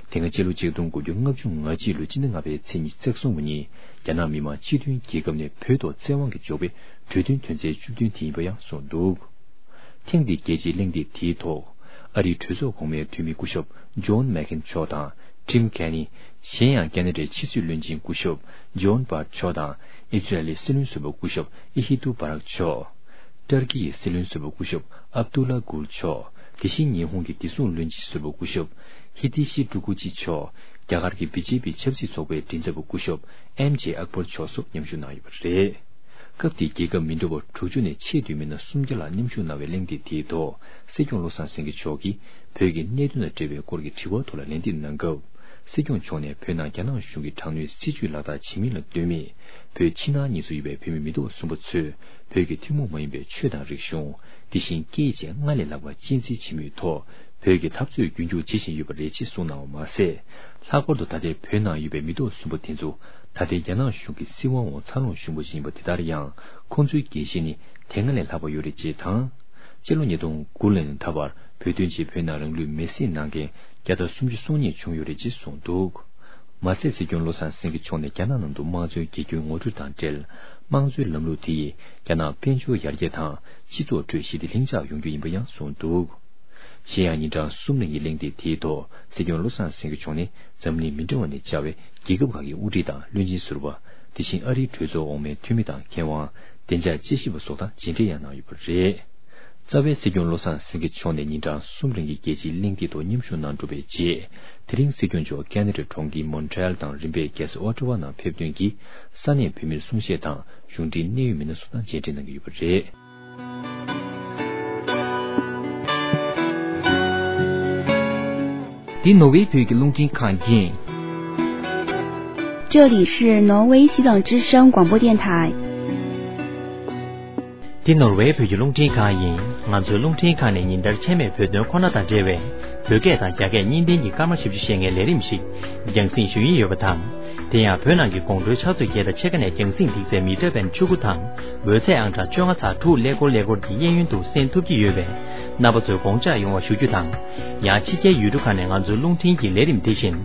དེ་སྔ་སྤྱི་ལོ་ཆིག་སྟོང་དགུ་བརྒྱ་ལྔ་བཅུ་ང་གཅིག་ལོའི་སྤྱི་ཟླ་ལྔ་པའི་ཚེས་ཉི་ཤུ་རྩ་གསུམ་པ་ཉིན། རྒྱ་ནག་མི་དམངས་སྤྱི་མཐུན་རྒྱལ་ཁབ་ནས་བོད་ཐོག་བཙན་དབང་གིས་འཇོག་པའི་གྲོས་མཐུན་དོན་ཚན་བཅུ་བདུན་དེ་ཡིན་པ་ཡང་གསུངས་འདུག། ཐེངས་འདིའི་རྒྱལ་སྤྱིའི་གླེང་སྟེགས་དེའི་ཐོག། ཨ་རིའི་གྲོས་ཚོགས་གོང་མའི་འཐུས་མི་སྐུ་ཞབས་ཇོན་མེག་ཁེན་མཆོག་དང་། ཊིམ་ཁེ་ནི། གཞན་ཡང་ཁེ་ན་ཌའི་ཕྱི་སྲིད་བློན་ཆེན་སྐུ་ཞབས་ཇོན་བྷར་མཆོག་དང་། ཨི་ཛི་རལ་ཡི་སྲིད་བློན་ཟུར་པ་སྐུ་ཞབས་ཨི་ཧི་ཏུ་བྷ་རག་མཆོག། ཏར་ཀི་ཡི་སྲིད་བློན་ཟུར་པ་སྐུ་ཞབས་ཨབ་ཏུ་ལ་གུལ་མཆོག། དེ་བཞིན་ཉི་ཧོང་གི་བདེ་སྲུང་བློན་ཆེན་ཟུར་པ་སྐུ་ཞབས་ཧི་ཏི་ཤི་ཀྲུ་ཀུ་ཅི་མཆོག། རྒྱ་གར་གྱི་བི་ཇེ་པི་ཆབ་སྲིད་ཚོགས་པའི་མགྲིན་ཚབ་པ་སྐུ་ཞབས་ཨེམ་ཇེ་ཨག་བར་མཆོག་སོགས་མཉམ་ཞུགས་གནང་ཡོད་པ་རེད། སྐབས་དེའི་རྒྱལ་ཁབ་མི་འདྲ་བ་དྲུག་ཅུ་ནས་ཆེས་མཐོའི་མི་སྣ་སུམ་བརྒྱ་ལྷག་མཉམ་ཞུགས་གནང་བའི་གླེང་སྟེགས་དེའི་ཐོག་སྲིད་སྐྱོང་བློ་བཟང་སེང་གེ་མཆོག་གིས་བོད་ཀྱི་གནད་དོན་དང་འབྲེལ་བའི་སྐོར་གྱི་དྲི་བ་ཐོག་ལ་ལན་འདེབས་གནང་སྐབས། སྲིད་སྐྱོང་མཆོག་ནས་བོད་ནང་རྒྱ་ནག་གཞུང་གིས་དྲག་གནོན་སྲིད་བྱུས་ལག་བསྟར་བྱེད་མིན་ལ་ལྟོས་མེད། བོད་ཕྱི་ནང་གཉིས་སུ་ཡོད་པའི་བོད་མི་མི་ཐོག་གསུམ་པ་ཚོས་བོད་ཀྱི་ཐུན་མོང་མ་ཡིན་པའི་ཆོས་དང་རིག་གཞུང་། དེ་བཞིན་སྐད་ཡིག་བཅས་སྔར་ལས་ལྷག་པ་གཅེས་འཛིན་བྱེད་མུས་ཐོག་བོད་ཀྱི་འཐབ་རྩོད་རྒྱུན་འཁྱོངས་བྱེད་བཞིན་ཡོད་པ་རེད་ཅེས་གསུངས་གནང་བ་མ་ཟད། ལྷག་པར་དུ་ད་ལྟའི་བོད་ནང་ཡོད་པའི་མི་ཐོག་གསུམ་པ་དེ་ཚོ་ད་ལྟའི་རྒྱ་ནག་གཞུང་གི་སྲིད་དབང་འོག་འཚར་ལོངས་བྱུང་བ་ཞིག་ཡིན་པ་དེ་ལྟར་ཡང་། ཁོང་ཚོའི་འགན་བཞེས་ནི་དེ་སྔ་ལས་ལྷག་པ་ཡོད་རེད་ཅེས་དང་། སྤྱི་ལོ་ཉིས་སྟོང་དགུ་ལོ་ནས་ད་བར། བོད་དོན་ཆེད་བོད་ནང་རང་ལུས་མེར་སྲེག་གནང་མཁན་བརྒྱ་དང་སུམ་ཅུ་སོ་གཉིས་བྱུང་ཡོད་རེད་ཅེས་གསུངས་འདུག། མ་ཟད་སྲིད་སྐྱོང་བློ་བཟང་སེང་གེ་མཆོག་ནས་རྒྱ་ནག་ནང་དུ་དམངས་གཙོའི་དགེ་སྐྱོན་ངོ་སྤྲོད་དང་འབྲེལ། དམངས་གཙོའི་ལམ་ལུགས་དེ་ཡིས་རྒྱ་ནག་དཔལ་འབྱོར་ཡར་རྒྱས་དང་སྤྱི་ཚོགས་ཁྲོད་ཞི་བདེ་ལྷིང་འཇགས་ཡོང་རྒྱུ་ཡིན་པ་ཡང་གསུངས་འདུག། གཞན་ཡང་ཉིན་གྲངས་གསུམ་རིང་གི་གླེང་སྟེགས་དེའི་ཐོག་སྲིད་སྐྱོང་བློ་བཟང་སེང་གེ་མཆོག་ནས་འཛམ་གླིང་མི་འདྲ་བ་ནས་བཅར་བའི་རྒྱལ་ཁབ་ཁག་གི་དབུ་ཁྲིད་དང་བློན་ཆེན་ཟུར་པ། དེ་བཞིན་ཨ་རིའི་གྲོས་ཚོགས་འོག་མའི་འཐུས་མི་དང་མཁས་དབང་། བདེ་འཇགས་དཔྱད་ཞིབ་པ་སོགས་དང་མཇལ་འཕྲད་ཡང་གནང་ཡོད་པ་རེད། རྩ་བའི་སྲིད་སྐྱོང་བློ་བཟང་སེང་གེ་མཆོག་ནས་ཉིན་གྲངས་གསུམ་རིང་གི་རྒྱལ་སྤྱིའི་གླེང་སྟེགས་ཐོག་མཉམ་ཞུགས་གནང་གྲུབ་པའི་རྗེས། དེ་རིང་སྲིད་སྐྱོང་མཆོག་ཁེ་ན་ཌའི་གྲོང་ཁྱེར་མོན་ཊི་རེལ་དང་རིམ་པས་རྒྱལ་ས་ཨོ་ཊ་ཝ་ནང་ཕེབས་དོན་གྱིས་ས་གནས་བོད་མིར་གསུང་བཤད་དང་གཞུང་འབྲེལ་གནད་ཡོད་མི་སྣ་སོགས་དང་མཇལ་འཕྲད་གནང་གི་ཡོད་པ་རེད། འདི་ནོར་ཝེ་བོད་ཀྱི་རླུང་འཕྲིན་ཁང་ཡིན། 这里是挪威西藏之声广播电台。 འདི་ནོར་ཝེ་བོད་ཀྱི་རླུང་འཕྲིན་ཁང་ཡིན། ང་ཚོའི་རླུང་འཕྲིན་ཁང་ནས་ཉིན་ལྟར་ཆད་མེད་བོད་དོན་ཁོ་ན་དང་འབྲེལ་བའི་བོད་སྐད་དང་རྒྱ་སྐད་གཉིས་ལྡན་གྱི་སྐར་མ་བཞི་བཅུ་ཞེ་ལྔའི་ལས་རིམ་ཞིག་རྒྱང་སྲིང་ཞུ་ཡི་ཡོད་པ་དང་། དེ་ཡང་བོད་ནང་གི་དགོང་དྲོའི་ཆུ་ཚོད་བརྒྱད་དང་ཕྱེད་ཀ་ནས་རྒྱང་སྲིང་ཐིག་ཚད་མི་ཊར་བེན་བཅུ་དགུ་དང་། འོད་ཚད་ཨང་གྲངས་བཅོ་ལྔ་ཚེག་དྲུག་ཀླད་ཀོར་ཀླད་ཀོར་གྱི་གཡས་གཡོན་དུ་གསན་ཐུབ་ཀྱི་ཡོད་པས། རྣམ་པ་ཚོས་དགོངས་འཇགས་ཡོང་བ་ཞུ་རྒྱུ་དང་། ཡང་ཕྱི་རྒྱལ་ཡུལ་གྲུ་ཁག་ནས་ང་ཚོའི་རླུང་འཕྲིན་གྱི་ལས་རིམ་དེ་བཞིན།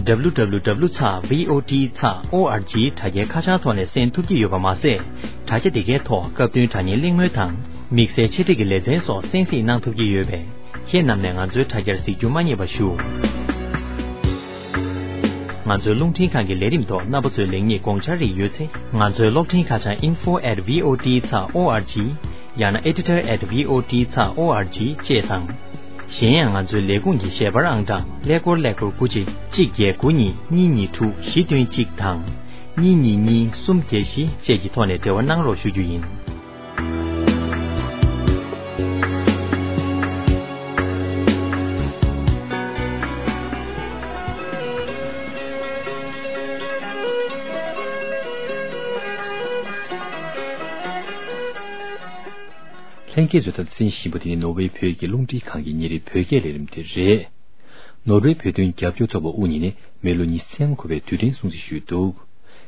www.voa.org དྲ་རྒྱའི་ཁ་བྱང་ཐོག་ནས་གསན་ཐུབ་ཀྱི་ཡོད་པ་མ་ཟད། དྲ་རྒྱ་དེ་གའི་ཐོག་སྐབས་བསྟུན་དྲ་བརྙན་གླེང་མོལ་དང་། དམིགས་བསལ་འཆད་ཁྲིད་ཀྱི་ལེ་ཚན་སོགས་གསན་གཟིགས་གནང་ཐུབ་ཀྱི་ཡོད་པས། ཁྱེད་རྣམས་ནས་ང་ཚོའི་དྲ་རྒྱར་གཟིགས་རྒྱུ་མ་བསྙེལ་བ་ཞུ། ང་ཚོའི་རླུང་འཕྲིན་ཁང་གི་ལས་རིམ་ཐོག་རྣམ་པ་ཚོས་ལེགས་ཉེས་དགོངས་འཆར་རིགས་ཡོད་ཚེ། ང་ཚོའི་གློག་འཕྲིན་ཁ་བྱང་info@voa.org ཡང་ན་editor@voa.org བཅས་དང་། གཞན་ཡང་ང་ཚོའི་ལས་ཁུངས་ཀྱི་ཞལ་པར་ཨང་གྲངས་ཀླད་ཀོར་ཀླད་ཀོར་དགུ་གཅིག་གཅིག་བརྒྱད་དགུ་གཉིས་གཉིས་གཉིས་དྲུག་བཞི་བདུན་གཅིག་དང་། གཉིས་གཉིས་གཉིས་གསུམ་བརྒྱད་བཞི་བཅས་ཀྱི་ཐོག་ནས་འབྲེལ་བ་གནང་རོགས་ཞུ་རྒྱུ་ཡིན། ལྷན་རྒྱས་ཚོས་ད་ལྟ་གསན་བཞིན་པ་དེ་ནི་ནོར་ཝེ་བོད་ཀྱི་རླུང་འཕྲིན་ཁང་གི་ཉིན་རེའི་བོད་སྐད་ལས་རིམ་དེ་རེད། ནོར་ཝེ་བོད་དོན་རྒྱབ་སྐྱོར་ཚོགས་པ་དབུ་བརྙེས་ནས་མི་ལོ་ཉི་ཤུ་ཙམ་འཁོར་བའི་དུས་དྲན་སྲུང་བརྩི་ཞུས་འདུག།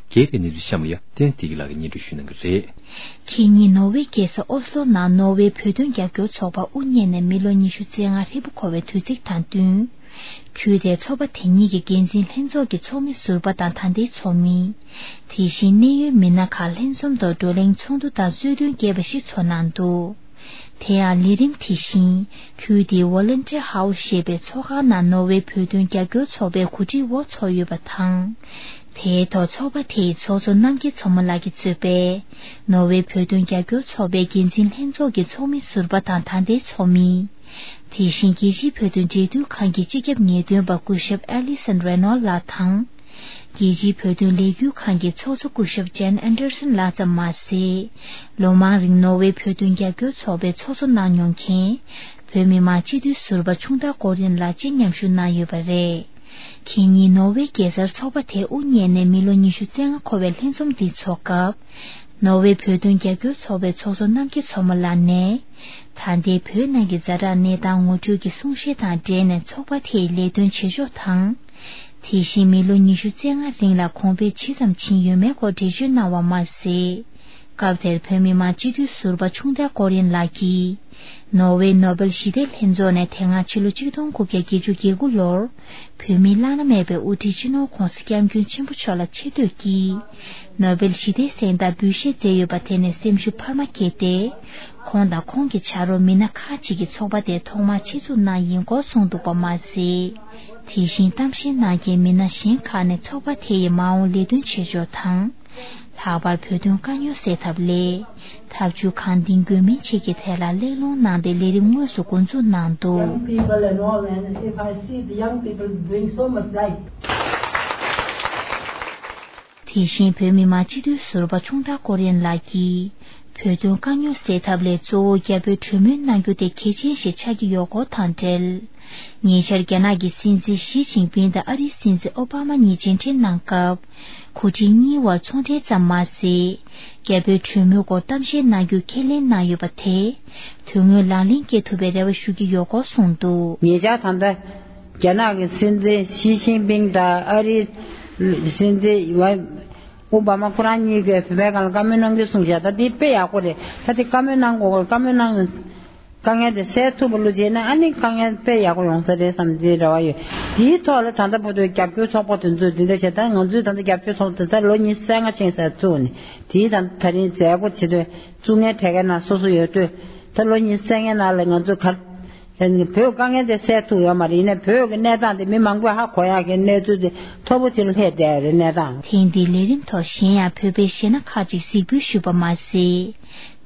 རྒྱས་པའི་གནས་ཚུལ་གཤམ་ལ་ཡ་བསྟན་འཛིན་བདེ་སྐྱིད་ལགས་ཀྱིས་སྙན་སྒྲོན་ཞུ་གནང་གི་རེད། ཁེ་ཉིན་ནོར་ཝེ་རྒྱལ་ས་ཨོ་སློ་ནང་ནོར་ཝེ་བོད་དོན་རྒྱབ་སྐྱོར་ཚོགས་པ་དབུ་བརྙེས་ནས་མི་ལོ་ཉི་ཤུ་རྩ་ལྔ་ཧྲིལ་པོ་འཁོར་བའི་དུས་ཚིགས་དང་བསྟུན། ཁུལ་དེའི་ཚོགས་པ་དེ་གཉིས་ཀྱི་འགན་འཛིན་ལྷན་ཚོགས་ཀྱི་ཚོགས་མི་ཟུར་པ་དང་ད་ལྟའི་ཚོགས་མི། དེ་བཞིན་གནད་ཡོད་མི་སྣ་ཁག་ལྷན་འཛོམས་ཐོག་བགྲོ་གླེང་ཚོགས་འདུ་དང་གསོལ་སྟོན་རྒྱས་པ་ཞིག་ཚོགས་གནང་འདུག། དེ་ཡང་ལས་རིམ་དེ་བཞིན་ཁུལ་དེའི་Volunteer House ཞེས་པའི་ཚོགས་ཁང་ནང་ནོར་ཝེ་བོད་དོན་རྒྱབ་སྐྱོར་ཚོགས་པའི་གོ་སྒྲིག་འོག་ཚོགས་ཡོད་པ་དང་། དེའི་ཐོག་ཚོགས་པ་དེའི་ཚོགས་གཙོ་རྣམ་རྒྱལ་མཚོ་མོ་ལགས་ཀྱིས་གཙོས་པའི་ནོར་ཝེ་བོད་དོན་རྒྱབ་སྐྱོར་ཚོགས་པའི་འགན་འཛིན་ལྷན་ཚོགས་ཀྱི་ཚོགས་མི་ཟུར་པ་དང་ད་ལྟའི་ཚོགས་མི། དེ་བཞིན་རྒྱལ་སྤྱིའི་བོད་དོན་འབྲེལ་མཐུད་ཁང་གི་སྤྱི་ཁྱབ་ངེས་སྟོན་པ་སྐུ་ཞབས་Alison Renaud ལགས་དང་། རྒྱལ་སྤྱིའི་བོད་དོན་ལས་འགུལ་ཁང་གི་ཚོགས་གཙོ་སྐུ་ཞབས་Jan Anderson ལགས་ཙམ་མ་ཟད། ལོ་མང་རིང་ནོར་ཝེ་བོད་དོན་རྒྱབ་སྐྱོར་ཚོགས་པའི་ཚོགས་གཙོ་གནང་མྱོང་མཁན། བོད་མི་མང་སྤྱི་འཐུས་ཟུར་པ་ཆུང་བདག་ཀོ་རིན་ལགས་བཅས་མཉམ་ཞུགས་གནང་ཡོད་པ་རེད། ཁེ་ཉིན་ནོར་ཝེ་རྒྱལ་སར་ཚོགས་པ་དེ་དབུ་བརྙེས་ནས་མི་ལོ་ཉི་ཤུ་རྩ་ལྔ་འཁོར་བའི་ལྷན་འཛོམས་འདི་འཚོགས་སྐབས། ནོར་ཝེ་བོད་དོན་རྒྱབ་སྐྱོར་ཚོགས་པའི་ཚོགས་གཙོ་རྣམ་རྒྱལ་མཚོ་མོ་ལགས་ནས། ད་ལྟའི་བོད་ནང་གི་ཛ་དྲག་གནས་སྟངས་ངོ་སྤྲོད་ཀྱི་གསུང་བཤད་དང་འབྲེལ་ནས་ཚོགས་པ་དེའི་ལས་དོན་བྱེད་ཕྱོགས་དང་། དེ་བཞིན་མི་ལོ་ཉི་ཤུ་རྩ་ལྔ་རིང་ལ་གོང་འཕེལ་ཇི་ཙམ་ཕྱིན་ཡོད་མེད་སྐོར་འགྲེལ་བརྗོད་གནང་བ་མ་ཟད། སྐབས་དེར་བོད་མི་མང་སྤྱི་འཐུས་ཟུར་པ་ཆུང་བདག་ཀོ་རིན་ལགས་ཀྱིས། ནོར་ཝེ་ནོ་བེལ་ཞི་བདེ་ལྷན་ཚོགས་ནས་དེ་སྔ་ཕྱི་ལོ་ཆིག་སྟོང་དགུ་བརྒྱ་བརྒྱད་ཅུ་གྱ་དགུ་ལོར། བོད་མིའི་བླ་ན་མེད་པའི་དབུ་ཁྲིད་སྤྱི་ནོར་ྋགོང་ས་ྋསྐྱབས་མགོན་ཆེན་པོ་མཆོག་ལ་ཆེ་བསྟོད་ཀྱིས། ནོ་བེལ་ཞི་བདེའི་གཟེངས་རྟགས་འབུལ་བཞེས་མཛད་ཡོད་པ་དེ་ནས་སེམས་ཤུགས་འཕར་མ་སྐྱེས་ཏེ། ཁོང་དང་ཁོང་གི་ཕྱག་རོགས་མི་སྣ་ཁག་ཅིག་གིས་ཚོགས་པ་དེ་ཐོག་མར་ཆེད་འཛུགས་གནང་ཡིན་སྐོར་གསུངས་འདུག་པ་མ་ཟད། དེ་བཞིན་གཏམ་བཤད་གནང་མཁན་མི་སྣ་གཞན་ཁག་ནས་ཚོགས་པ་དེ་ཡི་མ་འོངས་ལས་དོན་བྱེད་ཕྱོགས་དང་། ལྷག་པར་བོད་དོན་དཀའ་རྙོག་སེལ་ཐབས་སླད། ཐབས་ཇུས་གང་འདིང་དགོས་མིན་བཅས་ཀྱི་ཐད་ལ་གླེང་སློང་གནང་སྟེ་ལས་རིམ་དངོས་སུ་འགོ་འཛུགས་གནང་འདུག། Young people and all, and if I see the young people bring so much light. དེ་བཞིན་བོད་མི་མང་སྤྱི་འཐུས་ཟུར་པ་ཆུང་བདག་ཀོ་རིན་ལགས་ཀྱིས། བོད་དོན་དཀའ་རྙོག་སེལ་ཐབས་ལས་གཙོ་བོ་རྒྱ་བོད་གྲོས་མོལ་གནང་རྒྱུ་དེ་གལ་ཆེན་ཞིག་ཆགས་ཀྱི་ཡོད་སྐོར་དང་འབྲེལ། ཉེ་ཆར་རྒྱ་ནག་གི་སྲིད་འཛིན་ཞི་ཅིན་ཕིང་དང་ཨ་རིའི་སྲིད་འཛིན་ཨོ་བྷ་མ་གཉིས་མཇལ་འཕྲད་གནང་སྐབས། འགོ་ཁྲིད་གཉིས་བར་ཚོང་འབྲེལ་ཙམ་མ་ཟད། རྒྱ་བོད་གྲོས་མོལ་སྐོར་གཏམ་བཤད་གནང་རྒྱུ་ཁས་ལེན་གནང་ཡོད་པ་དེ། དོན་དངོས་ལག་ལེན་སྐྱེལ་ཐུབ་པའི་རེ་བ་ཞུ་གི་ཡོད་སྐོར་གསུངས་འདུག། ཉེ་ཆར་ད་ལྟ་རྒྱ་ནག་གི་སྲིད་འཛིན་ཞི་ཅིན་ཕིང་དང་ཨ་རིའི་སྲིད་འཛིན་ཨོ་བྷ་མ་ཁོ་རང་གཉིས་ཀྱིས་བོད་པའི་སྒང་ལ་བཀའ་མོལ་གནང་རྒྱུ་གསུངས་བཞག། ད་འདི་དཔེ་ཡག་པོ་རེད། ད་འདི་བཀའ་མོལ་གནང་དགོས། བཀའ་མོལ་གནང་ དཀའ་ངལ་དེ་སེལ་ཐུབ་པ་བློ་ཅིག་ན་ཨ་ནི་དཀའ་ངལ་དཔེ་ཡག་པོ་ཡོང་ས་རེད་བསམ་གྱི་རེ་བ་ཡོད། དེའི་ཐོག་ལ་ད་ལྟ་བར་དུ་རྒྱབ་སྐྱོར་ཚོགས་པ་དེ་ཚོས་འདི་འདྲ་བྱས་ད་ང་ཚོའི་ད་ལྟ་རྒྱབ་སྐྱོར་ཚོགས་པ་དེ་ཚོ་ལོ་ཉི་ཤུ་རྩ་ལྔ་ཕྱིན་ས་བཙུགས་ནས་དེའི་ད་ད་རིང་མཛད་སྒོ་བྱེད་དུས་བཙུགས་མཁན་གྲས་ཀའི་ནང་སོ་སོ་ཡོད་དུས་ད་ལོ་ཉི་ཤུ་རྩ་ལྔའི་ནང་ལ་ང་ཚོས་ག་བོད་དཀའ་ངལ་དེ་སེལ་ཐུབ་ཡོད་མ་རེད། ཡིན་ནའི་བོད་ཀྱི་གནས་སྟངས་དེ་མི་མང་པོས་ཧ་གོ་ཡག་གི་གནས་ཚུལ་དེ་མཐོ་པོ་ཅིག་ལ་སླེབས་བསྡད་ཡོད་རེད་གནས་སྟངས། ཐེངས་འདིའི་ལས་རིམ་ཐོག་གཞན་ཡང་བོད་པའི་གཞས་སྣ་ཁག་ཅིག་གཟིགས་འབུལ་ཞུས་པ་མ་ཟད།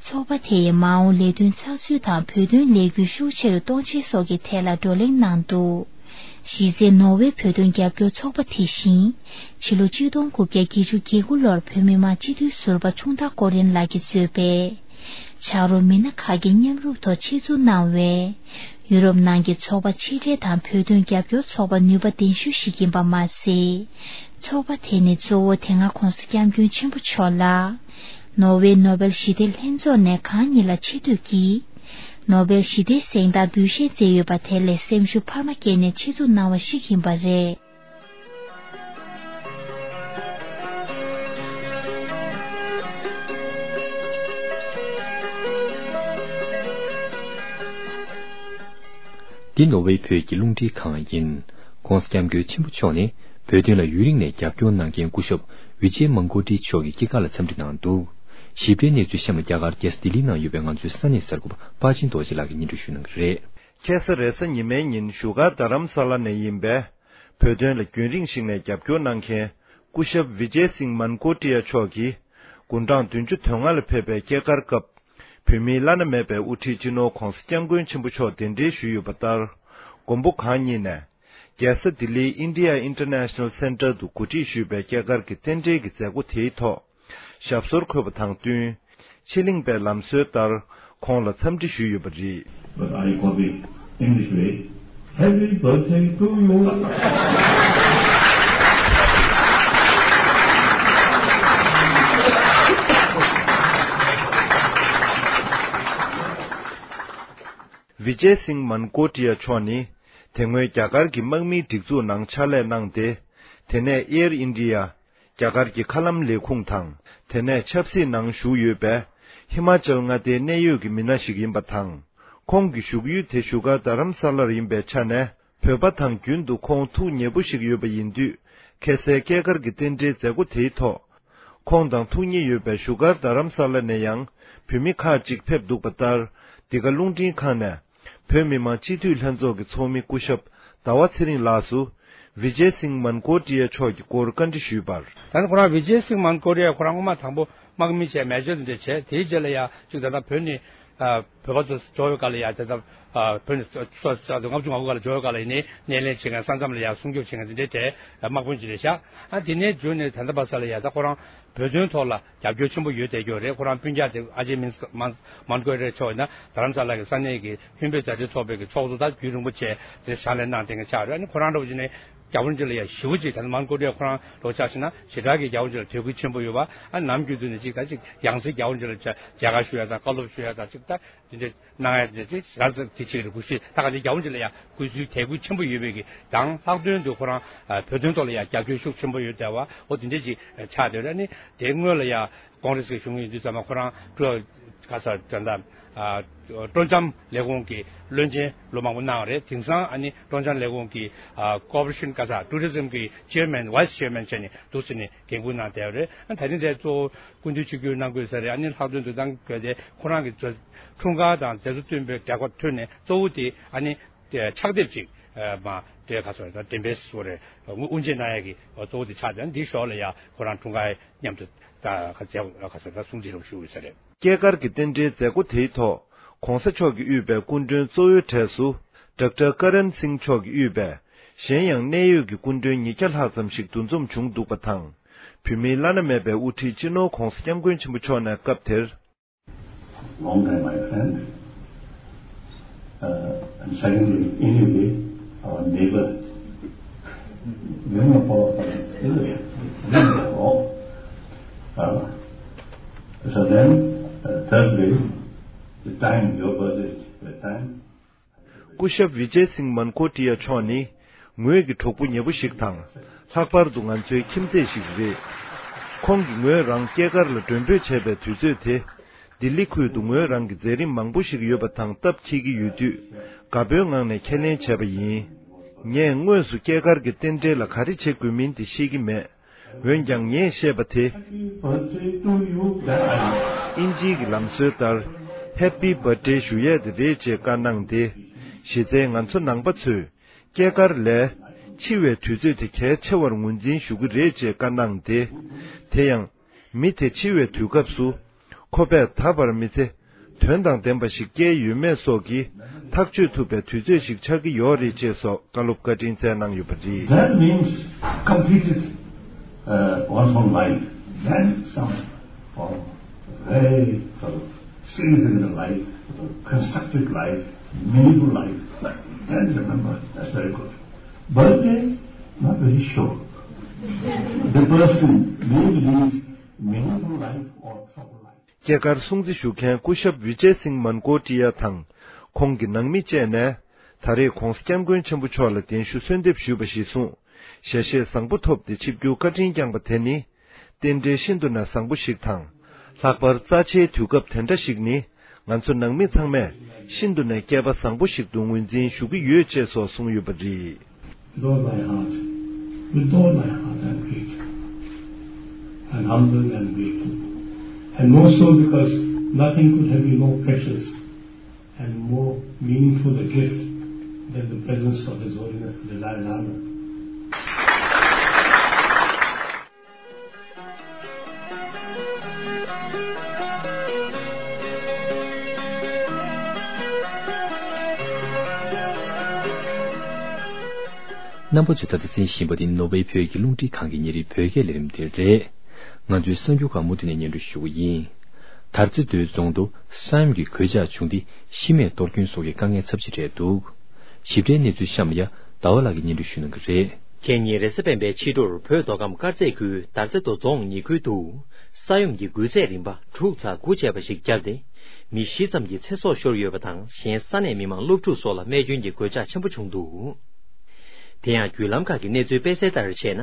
ཚོགས་པ་དེ་ཡི་མ་འོངས་ལས་དོན་ཚགས་ཚུད་དང་བོད་དོན་ལས་འགུལ་ཤུགས་ཆེ་རུ་གཏོང་ཆེད་སོགས་ཀྱི་ཐད་ལ་བགྲོ་གླེང་གནང་འདུག་གཞི་རྩའི་ནོར་ཝེ་བོད་དོན་རྒྱབ་སྐྱོར་ཚོགས་པ་དེ་བཞིན་ཕྱི་ལོ་ཆིག་སྟོང་དགུ་བརྒྱ་བརྒྱད་ཅུ་གྱ་དགུ་ལོར་བོད་མི་མང་སྤྱི་འཐུས་ཟུར་པ་ཆུང་བདག་ཀོ་རིན་ལགས་ཀྱིས་གཙོས་པའི་ཕྱག་རོགས་མི་སྣ་ཁག་གི་མཉམ་རུབ་ཐོག་ཆེད་འཛུགས་གནང་བའི་ཡུ་རོབ་ནང་གི་ཚོགས་པ་ཕྱི་འབྲེལ་དང་བོད་དོན་རྒྱབ་སྐྱོར་ཚོགས་པ་ནུས་པ་ལྡན་ཤོས་ཤིག་ཡིན་པ་མ་ཟད། ཚོགས་པ་དེ་ནི་གཙོ་བོ་དེ་སྔ་༧གོང་ས་༧སྐྱབས་མགོན་ཆེན་པོ་མཆོག་ལ། ནོར་ཝེ་ནོ་བེལ་ཞི་བདེ་ལྷན་ཚོགས་ནས་གང་ཉིད་ལ་ཆེ་བསྟོད་ཀྱིས། ནོ་བེལ་ཞི་བདེའི་གཟེངས་རྟགས་འབུལ་བཞེས་མཛད་ཡོད་པ་དེ་ལས་སེམས་ཤུགས་འཕར་མ་སྐྱེས་ནས་ཆེད་འཛུགས་གནང་བ་ཞིག་ཡིན་པ་རེད། འདི་ནོར་ཝེ་བོད་ཀྱི་རླུང་འཕྲིན་ཁང་ཡིན། ༸གོང་ས་༸སྐྱབས་མགོན་ཆེན་པོ་མཆོག་ནས་བོད་དོན་ལ་ཡུན་རིང་ནས་རྒྱབ་སྐྱོར་གནང་མཁན་སྐུ་ཞབས་ཝི་ཇེ་མང་ཀོ་ཏི་མཆོག་གི་སྐྱེས་སྐར་ལ་འཚམས་འདྲི་གནང་འདུག་ཞིབ་ཕྲའི་གནས་ཚུལ་གཤམ་ལ་རྒྱ་གར་རྒྱལ་ས་ལྡི་ལི་ནང་ཡོད་པའི་ང་ཚོའི་ས་གནས་གསར་འགོད་པ་པ་ཅིན་རྡོ་རྗེ་ལགས་ཀྱིས་སྙན་སྒྲོན་ཞུ་གནང་གི་རེད། ཁ་སང་རེས་གཟའ་ཉི་མའི་ཉིན་བཞུགས་སྒར་རྡ་རམ་ས་ལ་ནས་ཡིན་པའི་བོད་དོན་ལ་རྒྱུན་རིང་ཞིག་ནས་རྒྱབ་སྐྱོར་གནང་མཁན་སྐུ་ཞབས་ཝི་ཇེ་སིང་མན་ཀོ་ཏི་ཡ་མཆོག་གིས་དགུང་གྲངས་བདུན་ཅུ་དོན་ལྔ་ལ་ཕེབས་པའི་སྐྱེས་སྐར་སྐབས། བོད་མིའི་བླ་ན་མེད་པའི་དབུ་ཁྲིད་སྤྱི་ནོར་༸གོང་ས་༸སྐྱབས་མགོན་ཆེན་པོ་མཆོག་གདན་འདྲེན་ཞུས་ཡོད་པ་ལྟར། མགོན་པོ་གང་ཉིད་ནས། རྒྱལ་ས་ལྡི་ལིའི་ཨིན་ཌི་ཡ་ཨིན་ཊར་ནེ་ཤ་ནལ་སེན་ཊར་དུ་གོ་སྒྲིག་ཞུས་པའི་སྐྱེས་སྐར་གྱི་རྟེན་འབྲེལ་གྱི་མཛད་སྒོ་དེའི་ཐོག་ཞབས་སོར་འཁོད་པ་དང་བསྟུན། ཕྱི་གླིང་པའི་ལམ་སྲོལ་ལྟར་ཁོང་ལ་འཚམས་འདྲི་ཞུས་ཡོད་པ་རེད། But I copy English way. Happy birthday to you. ཝི་ཇེ་སིང་མན་ཀོ་ཏི་ཡ་མཆོག་ནི། དེ་སྔོན་རྒྱ་གར་གྱི་དམག་མིའི་སྒྲིག་འཛུགས་ནང་ཕྱག་ལས་གནང་སྟེ། དེ་ནས་ཨེར་ཨིན་ཌི་ཡ། རྒྱ་གར་གྱི་མཁའ་ལམ་ལས་ཁུངས་དང་། དེ་ནས་ཆབ་སྲིད་ནང་ཞུགས་ཡོད་པའི། ཧི་མ་ཅལ་མངའ་སྡེའི་གནད་ཡོད་ཀྱི་མི་སྣ་ཞིག་ཡིན་པ་དང་། ཁོང་གི་བཞུགས་ཡུལ་དེ་བཞུགས་སྒར་རྡ་རམ་ས་ལར་ཡིན་པའི་ཆ་ནས། བོད་པ་དང་རྒྱུན་དུ་ཁོང་ཐུགས་མཉེས་པོ་ཞིག་ཡོད་པ་ཡིན་དུས། ཁ་སང་སྐྱེས་སྐར་གྱི་རྟེན་འབྲེལ་མཛད་སྒོ་དེའི་ཐོག་ཁོང་དང་ཐུགས་མཉེས་ཡོད་པའི་བཞུགས་སྒར་རྡ་རམ་ས་ལ་ནས་ཡང་བོད་མི་ཁག་ཅིག་ཕེབས་འདུག་པ་ལྟར། འདི་ག་རླུང་འཕྲིན་ཁང་ནས་བོད་མི་མང་སྤྱི་འཐུས་ལྷན་ཚོགས་ཀྱི་ཚོགས་མི་སྐུ་ཞབས་ཟླ་བ་ཚེ་རིང་ལགས་སུ་ཝི་ཇེ་སིང་མན་ཀོ་ཏི་ཡ་མཆོག་གི་སྐོར་བཀའ་འདྲི་ཞུས་པར། ད་ནི་ཁོ་རང་ཝི་ཇེ་སིང་མན་ཀོ་ཏི་ཡ་ཁོ་རང་སྔོན་མ་དང་པོ་དམག་མི་བྱས་མེ་ཇར་དེ་འདྲ་བྱས། དེའི་རྗེས་ལ་ཡང་ཅིག་ད་ལྟ་བོད་ནི་ཨ་བོད་པ་ཚོ་འབྱོར་བའི་སྐབས་ལ་ཡང་དེ་ལྟར་ཨ་བོད་ནས་སོ་སོ་ལྔ་བཅུ་ང་དགུ་སྐབས་ལ་འབྱོར་བའི་སྐབས་ལ་ཡིན་ནའི་སྣེ་ལེན་བྱེད་མཁན་ས་མཚམས་ལ་ཡང་སྲུང་སྐྱོབ་བྱེད་མཁན་དེ་འདྲའི་གྲས་དམག་དཔོན་ཅིག་རེད་ཤག་ཨ་དེ་ནས་བརྒྱུད་ནས་ད་ལྟ་བར་ས་ལ་ཡང་ད་ཁོ་རང་བོད་དོན་ཐོག་ལ་རྒྱབ་སྐྱོར་ཆེན་པོ་ཡོད་བསྡད་ཀྱི་ཡོད་རེད། ཁོ་རང་སྤུན་ཀྱག་དེ་ཨ་ཇེ་མིན་མན་མན་ཀོ་རེ་མཆོག་ཡིན་ན་རྡ་རམ་ས་ལ་གི་ས་གནས་ཀྱི་ཧུན་བོད་མཛའ་འབྲེལ་ཚོགས་པའི་གི་ཚོགས་གཙོ་ད་རྒྱུན་རིང་པོ་བྱས་དེ་ཕྱག་ལས་གནང་བསྡད་མཁན་ཆགས་རེད། ཨ་ནི་ཁོ་རང་འདྲ་བོ་བྱས་ནས་རྒྱ་བོད་འབྲེལ་ལ་ཡང་ཞེ་པོ་ཅིག་ད་ནི་མན་ཀོ་ཏི་ཡ་ཁོ་རང་ལོ་ཆ་བཞག་ན་ཞེ་དྲག་གི་རྒྱ་བོད་འབྲེལ་ལ་དད་གུས་ཆེན་པོ་ཡོད་པ། ཨ་ནམ་རྒྱུན་དུ་ནས་ཅིག་ད་ཅིག་ཡང་སེ་རྒྱ་བོད་འབྲེལ་ལ་མཇལ་ཁ་ཞུ་ཡ་དང་བཀའ་སློབ་ཞུ་ཡ་དང་ཅིག་ད་དེ་འདྲ་གནང་ཡ་དེ་ཅིག་རང་ཚོ་དེ་ཅིག་རེད། གུས་ཞུ་ད་ག་ཅིག་རྒྱ་བོད་འབྲེལ་ལ་ཡང་གུས་བསུའི་དད་གུས་ཆེན་པོ་ཡོད་པའི་གི་དང་ལྷག་དོན་དུ་ཁོ་རང་བོད་དོན་ཐོག་ལ་ཡང་རྒྱབ་སྐྱོར་ཤུགས་ཆེན་པོ་ཡོད་བསྡད་པ་འོ་དེ་འདྲ་ཅིག་ཆགས་བསྡད་རེད། ཨ་ནི་དེ་སྔོན་ལ་ཡང་ཀོང་རེས་ཀྱི་གཞུང་ཡིན་དུས་ཙམ་པ་ཁོ་རང་ཀྲུའུ་ག་ས་ད་ལྟ་ཨ་སྤྲོ་འཆམ་ལས་ཁུངས་ཀྱི་བློན་ཆེན་ལོ་མང་པོ་གནང་བ་རེད། དེང་སང་ཨ་ནི་སྤྲོ་འཆམ་ལས་ཁུངས་ཀྱི་ཨ་ཀོ་པ་རེ་ཤན་ག་ས་ཊུ་རི་ཛིམ་གྱི་ཅེར་མེན་ཝའི་སི་ཅེར་མེན་བྱས་ནས་འདུག་སེ་ནས་འགན་འཁུར་གནང་བསྡད་པ་རེད། ཨ་ད་རིང་དེ་གཙོ་བོ་སྐུ་མདུན་ཆིབས་བསྒྱུར་གནང་དགོས་ས་རེད། ཨ་ནི་ལྷག་དོན་དུ་གནང་དགོས་དེ་ཁོ་རང་གི་འཁྲུངས་སྐར་དང་མཛད་གཙོ་བསྟུན་པའི་གྲལ་ཁ་ཐོན་ནས་གཙོ་བོ་དེ་ཨ་ནི་ཕྱག་དེབ་ཅིག་མ་དེ་ག་ཚོད་ད་འགྲེམས་སྤེལ་སོ་རེད་དབུ་འབྱེད་གནང་ཡ་གི་གཙོ་བོ་དེ་ཆགས་ཏེ་འདིའི་ཞོར་ལ་ཡ་ཁོ་རང་འཁྲུངས་སྐར་མཉམ་དུ་ད་ག་ཚོད་ད་གསུང་བཤད་རོགས་ཞུ་དགོས་ས་རེད། སྐྱེས་སྐར་གྱི་རྟེན་འབྲེལ་མཛད་སྒོ་དེའི་ཐོག་༸གོང་ས་མཆོག་གིས་དབུས་པའི་སྐུ་མགྲོན་གཙོ་བོའི་གྲས་སུ་ཌོག་ཊར་ཀ་རན་སིང་མཆོག་གིས་དབུས་པའི་གཞན་ཡང་གནད་ཡོད་ཀྱི་སྐུ་མགྲོན་ཉིས་བརྒྱ་ལྷག་ཙམ་ཞིག་འདུ་འཛོམས་བྱུང་འདུག་པ་དང་། བོད་མིའི་བླ་ན་མེད་པའི་དབུ་ཁྲིད་སྤྱི་ནོར་༸གོང་ས་༸སྐྱབས་མགོན་ཆེན་པོ་མཆོག་ནས་སྐབས་དེར། Long time my friend, uh, and secondly, anyway, our neighbor. Neighbor for, uh, so then, uh, thirdly, the time, your birthday, the time. སྐུ་ཞབས་ཝི་ཇེ་སིང་མན་ཀོ་ཏི་ཡ་མཆོག་ནི་ངོས་ཀྱི་གྲོགས་པོ་ཉེ་པོ་ཞིག་དང་ལྷག་པར་དུ་ང་ཚོའི་ཁྱིམ་མཚེས་ཤིག་རེད། ཁོང་གིས་ངོས་རང་སྐྱེས་སྐར་ལ་མགྲོན་འབོད་བྱས་པའི་དུས་ཚོད་དེ་ ལྡི་ལི་ཁུལ་དུ་ངོས་རང་གི་མཛད་རིམ་མང་པོ་ཞིག་ཡོད་པ་དང་སྟབས་འཁེལ་གྱི་ཡོད་དུས། དགའ་པོའི་ངང་ནས་ཁས་ལེན་བྱས་པ་ཡིན། ངས་དངོས་སུ་སྐྱེས་སྐར་གྱི་རྟེན་འབྲེལ་ལ་ག་རེ་བྱེད་དགོས་མིན་དེ་ཤེས་ཀྱི་མེད། འོན་ཀྱང་ངས་བཤད་པ་དེ། ཨིན་ཇིའི་གི་ལམ་སྲོལ་ལྟར། Happy Birthday ཞུ་ཡས་དེ་རེད་ཅེས་བཀའ་གནང་སྟེ། གཞི་རྩའི་ང་ཚོ་ནང་པ་ཚོས། སྐྱེས་སྐར་ལས། འཆི་བའི་དུས་ཚོད་དེ་གལ་ཆེ་བར་ངོས་འཛིན་ཞུ་གི་རེད་ཅེས་བཀའ་གནང་སྟེ། དེ་ཡང་། མི་དེ་འཆི་བའི་དུས་སྐབས་སུ། ཁོ་པས་ད་བར་མི་ཚེ། དོན་དང་ལྡན་པ་ཞིག་སྐྱེལ་ཡོད་མེད་སོགས་ཀྱི། ཐག་གཅོད་ཐུབ་པའི་དུས་ཚོད་ཞིག་ཆགས་ཀྱི་ཡོད་རེད་ཅེས་སོགས་བཀའ་སློབ་བཀའ་དྲིན་སྩལ་གནང་ཡོད་པ་རེད། That means completed, uh, one's own life. Then some form of very sort of significant life, sort of constructive life, meaningful life. Then remember, that's very good. Birthday, not very sure. The person may lead meaningful life or troubled life. སྐྱེས་སྐར་སྲུང་བརྩི་ཞུ་མཁན་སྐུ་ཞབས་བི་ཇེ་སིང་མན་ཀོ་ཏི་ཡ་དང་ཁོང་གི་ནང་མི་བཅས་ནས། ད་རེས་༧གོང་ས་༧སྐྱབས་མགོན་ཆེན་པོ་མཆོག་ལ་གདན་ཞུ་གསོལ་འདེབས་ཞུས་པ་གཞིར་བཟུང་། ཞལ་བཞེས་བཟང་པོ་ཐོབ་སྟེ་ཆིབས་བསྒྱུར་བཀའ་དྲིན་བསྐྱངས་པ་དེ་ནི། རྟེན་འབྲེལ་ཤིན་ཏུ་ནས་བཟང་པོ་ཞིག་དང་། ལྷག་པར་རྩ་ཆེའི་དུས་སྐབས་དེ་འདྲ་ཞིག་ནི། ང་ཚོ་ནང་མི་ཚང་མས་ཤིན་ཏུ་ནས་སྐལ་པ་བཟང་པོ་ཞིག་ཏུ་ངོས་འཛིན་ཞུ་གི་ཡོད་ཅེས་སོགས་གསུངས་ཡོད་པ་རེད། With all my heart, with all my heart, I'm grateful. I'm humbled and grateful. And more so because nothing could have been more precious and more meaningful a gift than the presence of His Holiness the Dalai Lama. རྣམ་པ་ཚོས་ད་ལྟ་གསན་བཞིན་པ་འདི་ནོར་ཝེ་བོད་ཀྱི་རླུང་འཕྲིན་ཁང་གི་ཉིན་རེའི་བོད་སྐད་ལས་རིམ་དེ་རེད། ང་ཚོའི་གསར་འགྱུར་ཁག་མུ་མཐུད་ནས་སྙན་སྒྲོན་ཞུ་གི་ཡིན། དར་རྩེ་མདོའི་རྫོང་དུ་ས་ཡོམ་གྱི་གོད་ཆག་བྱུང་སྟེ་ཤི་རྨས་གཏོར་སྐྱོན་སོགས་ཀྱི་དཀའ་ངལ་ཚབས་ཆེ་འཕྲད་འདུག་ཞིབ་ཕྲའི་གནས་ཚུལ་གཤམ་ལ་ཡ་ཟླ་བ་ལགས་ཀྱིས་སྙན་སྒྲོན་ཞུ་གནང་གི་རེད། ཁེ་ཉིན་རེས་གཟའ་སྤེན་པའི་ཕྱི་དྲོར་བོད་མདོ་ཁམས་དཀར་མཛེས་ཁུལ་དར་རྩེ་མདོ་རྫོང་ཉེ་ཁུལ་དུ་ས་ཡོམ་གྱི་འགུལ་ཚད་རིམ་པ་དྲུག་ཚེག་དགུ་བྱས་པ་ཞིག་བརྒྱབ་སྟེ་མི་བཞི་ཙམ་གྱི་ཚེ་སྲོག་ཤོར་ཡོད་པ་དང་གཞན་ས་གནས་མི་མང་སློབ་ཕྲུག་སོགས་ལ་རྨས་སྐྱོན་གྱི་གོད་ཆག་ཆེན་པོ་བྱུང་འདུག་དེ་ཡང་བརྒྱུད་ལམ་ཁག་གི་གནས་ཚུལ་སྤེལ་གསལ་ལྟར་བྱས་ན།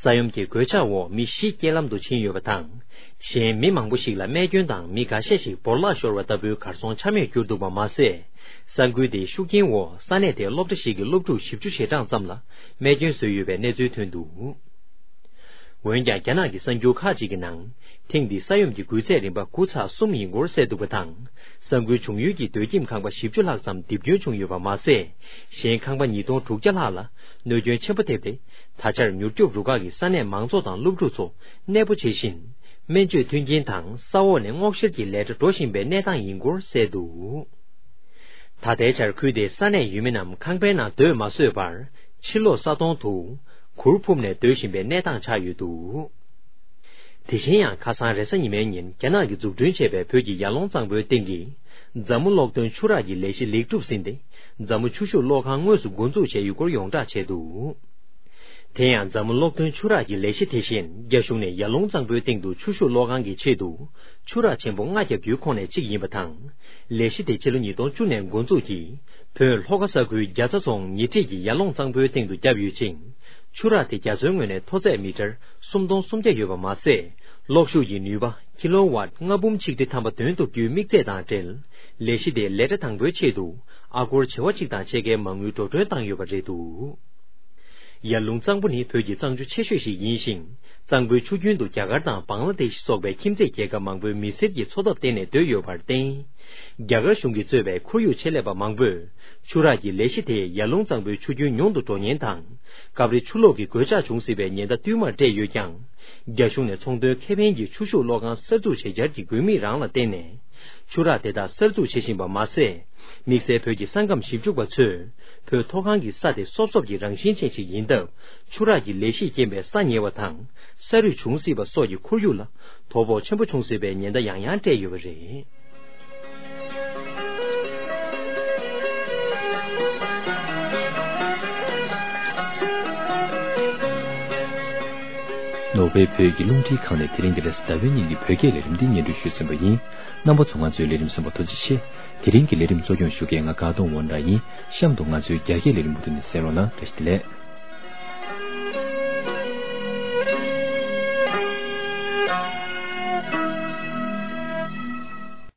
ས་ཡོམ་གྱི་གོད་ཆག་འོག་མི་བཞི་རྐྱེན་ལམ་དུ་ཕྱིན་ཡོད་པ་དང་། གཞན་མི་མང་པོ་ཞིག་ལ་རྨས་སྐྱོན་དང་མི་འགའ་ཤས་ཤིག་བོར་བརླག་ཤོར་བ་ལྟ་བུའི་གར་སོང་ཆ་མེད་གྱུར་འདུག་པ་མ་ཟད། ས་འགུལ་དེའི་ཤུགས་རྐྱེན་འོག་ས་གནས་དེའི་སློབ་གྲྭ་ཞིག་གི་སློབ་ཕྲུག་བཞི་བཅུ་ཞེ་གྲངས་ཙམ་ལ་རྨས་སྐྱོན་བཟོས་ཡོད་པའི་གནས་ཚུལ་ཐོན་འདུག་འོན་ཀྱང་རྒྱ་ནག་གི་གསར་འགྱུར་ཁག་ཅིག་གི་ནང་། ཐེངས་འདིའི་ས་ཡོམ་གྱི་འགུལ་ཚད་རིམ་པ་དགུ་ཚེག་གསུམ་ཡིན་སྐོར་གསལ་འདུག་པ་དང་། ས་འགུལ་བྱུང་ཡུལ་གྱི་སྡོད་ཁྱིམ་ཁང་པ་བཞི་བཅུ་ལྷག་ཙམ་རྡིབ་སྐྱོན་བྱུང་ཡོད་པ་མ་ཟད། གཞན་ཁང་པ་ཉིས་སྟོང་དྲུག་བརྒྱ་ལྷག་ལ་གནོད་སྐྱོན་ཆེན་པོ་ཐེབས་ཏེ། ད་ཆར་མྱུར་སྐྱོབ་རུ་ཁག་གིས་ས་གནས་མང་ཚོགས་དང་སློབ་ཕྲུག་ཚོ་གནས་སྤོ་བྱེད་བཞིན། སྨན་བཅོས་མཐུན་རྐྱེན་དང་ས་འོག་ནས་སྔོག་བཤེར་གྱི་ལས་གྲྭ་འགྲོ་བཞིན་པའི་གནས་སྟངས་ཡིན་སྐོར་གསལ་འདུག་ད་ལྟའི་ཆར་ཁུལ་དེའི་ས་གནས་ཡུལ་མི་རྣམས་ཁང་པའི་ནང་སྡོད་མ་བཟོད་པར། ཕྱི་ལོགས་ས་དོང་དུ་གུར་ཕུབ་ནས་སྡོད་བཞིན་པའི་གནས་སྟངས་ཆགས་ཡོད་འདུག་དེ་བཞིན་ཡང་ཁ་སང་རེས་གཟའ་ཉི་མའི་ཉིན་རྒྱ་ནག་གིས་འཛུགས་སྐྲུན་བྱས་པའི་བོད་ཀྱི་ཡར་ཀླུང་གཙང་པོའི་སྟེང་གི་འཛམ་བུ་གློག་ཐོན་ཆུ་རགས་ཀྱི་ལས་གཞི་ལེགས་གྲུབ་ཟིན་ཏེ། འཛམ་བུ་ཆུ་ཤུགས་གློག་ཁང་དངོས་སུ་འགོ་འཛུགས་བྱས་ཡོད་སྐོར་ཡོངས་བསྒྲགས་བྱས་འདུག་དེ་ཡང་འཛམ་བུ་གློག་ཐོན་ཆུ་རགས་ཀྱི་ལས་གཞི་དེ་བཞིན་རྒྱ་གཞུང་ནས་ཡར་ཀླུང་གཙང་པོའི་སྟེང་དུ་ཆུ་ཤུགས་གློག་ཁང་གི་ཆེད་དུ་ཆུ་རགས་ཆེན་པོ་ལྔ་བརྒྱབ་རྒྱུའི་ཁོངས་ནས་གཅིག་ཡིན་པ་དང་། ལས་གཞི་དེ་ཕྱི་ལོ་ཉིས་སྟོང་བཅུ་ནས་འགོ་འཛུགས་ཀྱིས་བོད་ལྷོ་ཁ་ས་ཁུལ་རྒྱ་ཚ་རྫོང་ཉེ་འཁྲིས་ཀྱི་ཡར་ཀླུང་གཙང་པོའི་སྟེང་དུ་བརྒྱབ་ཡོད་ཅིང་། ཆུ་རགས་དེ་རྒྱ་མཚོའི་ངོས་ནས་མཐོ་ཚད་མི་ཊར་སུམ་སྟོང་སུམ་བརྒྱ་ཡོད་པ་མ་ཟད། གློག་ཤུགས་ཀྱི་ནུས་པ་ཀི་ལོ་ཝཊ་ལྔ་འབུམ་ཆིག་ཁྲི་ཐམ་པ་འདོན་ཐུབ་རྒྱུའི་དམིགས་ཚད་དང་འབྲེལ། ལས་གཞི་དེའི་ལས་གྲྭ་དང་པོའི་ཆེད་དུ་ཨ་སྒོར་བྱེ་བ་གཅིག་དང་ཕྱེད་ཀའི་མ་དངུལ་འགྲོ་གྲོན་བཏང་ཡོད་པ་རེད་འདུག་ཡར་ཀླུང་གཙང་པོ་ནི་བོད་ཀྱི་གཙང་ཆུ་ཆེ་ཤོས་ཤིག་ཡིན་ཞིང་། གཙང་པོའི་ཆུ་རྒྱུན་དུ་རྒྱ་གར་དང་བང་ལ་དེཤ་སོགས་པའི་ཁྱིམ་མཚེས་རྒྱལ་ཁབ་མང་པོའི་མི་སེར་གྱི་འཚོ་ཐབས་བརྟེན་ནས་སྡོད་ཡོད་པར་བརྟེན། རྒྱ་གར་གཞུང་གིས་གཙོས་པའི་ཁོར་ཡུག་ཆེད་ལས་པ་མང་པོས་ཆུ་རགས་ཀྱི་ལས་གཞི་དེས་ཡར་ཀླུང་གཙང་པོའི་ཆུ་རྒྱུན་ཉུང་དུ་འགྲོ་ཉེན་དང་། སྐབས་རེ་ཆུ་ལོག་གི་གོད་ཆག་འབྱུང་སྲིད་པའི་ཉེན་བརྡ་བསྟུད་མར་སྤྲད་ཡོད་ཀྱང་། རྒྱ་གཞུང་ནས་ཚོང་དོན་ཁེ་ཕན་གྱི་ཆུ་ཤུགས་གློག་ཁང་གསར་འཛུགས་བྱེད་འཆར་གྱི་དགོས་དམིགས་རང་ལ་བརྟེན་ནས། ཆུ་རགས་དེ་དག་གསར་འཛུགས་བྱེད་བཞིན་པ་མ་ཟད། དམིགས་བསལ་བོད་ཀྱི་ས་ཁམས་ཞིབ་འཇུག་པ་ཚོས་བོད་མཐོ་སྒང་གི་ས་དེ་སོབ་སོབ་ཀྱི་རང་བཞིན་ཅན་ཞིག་ཡིན་སྟབས། ཆུ་རགས་ཀྱི་ལས་གཞིས་རྐྱེན་པས་ས་ཉིལ་བ་དང་ས་རུད་བྱུང་སྲིད་པ་སོགས་ཀྱི་ཁོར་ཡུག་ལ་དོ་ཕོག་ཆེན་པོ་བྱུང་སྲིད་པའི་ཉེན་བརྡ་ཡང་ཡང་སྤྲད་ཡོད་པ་རེད། ནོར་ཝེ་བོད་ཀྱི་རླུང་འཕྲིན་ཁང་ནས་དེ་རིང་གི་རེས་གཟའ་ཟླ་བའི་ཉིན་གྱི་བོད་སྐད་ལས་རིམ་འདི་སྙན་སྒྲོན་ཞུས་ཟིན་པ་ཡིན། རྣམ་པ་ཚོ་ང་ཚོའི་ལས་རིམ་གསན་པར་ཐུགས་རྗེ་ཆེ། དེ་རིང་གི་ལས་རིམ་གཙོ་སྐྱོང་ཞུ་མཁན་ང་དགའ་གདོང་ཝོན་ཌ་ཡིན། གཤམ་དུ་ང་ཚོའི་རྒྱ་སྐད་ལས་རིམ་མུ་མཐུད་ནས་གསན་རོགས་གནང་། བཀྲ་ཤིས་བདེ་ལེགས།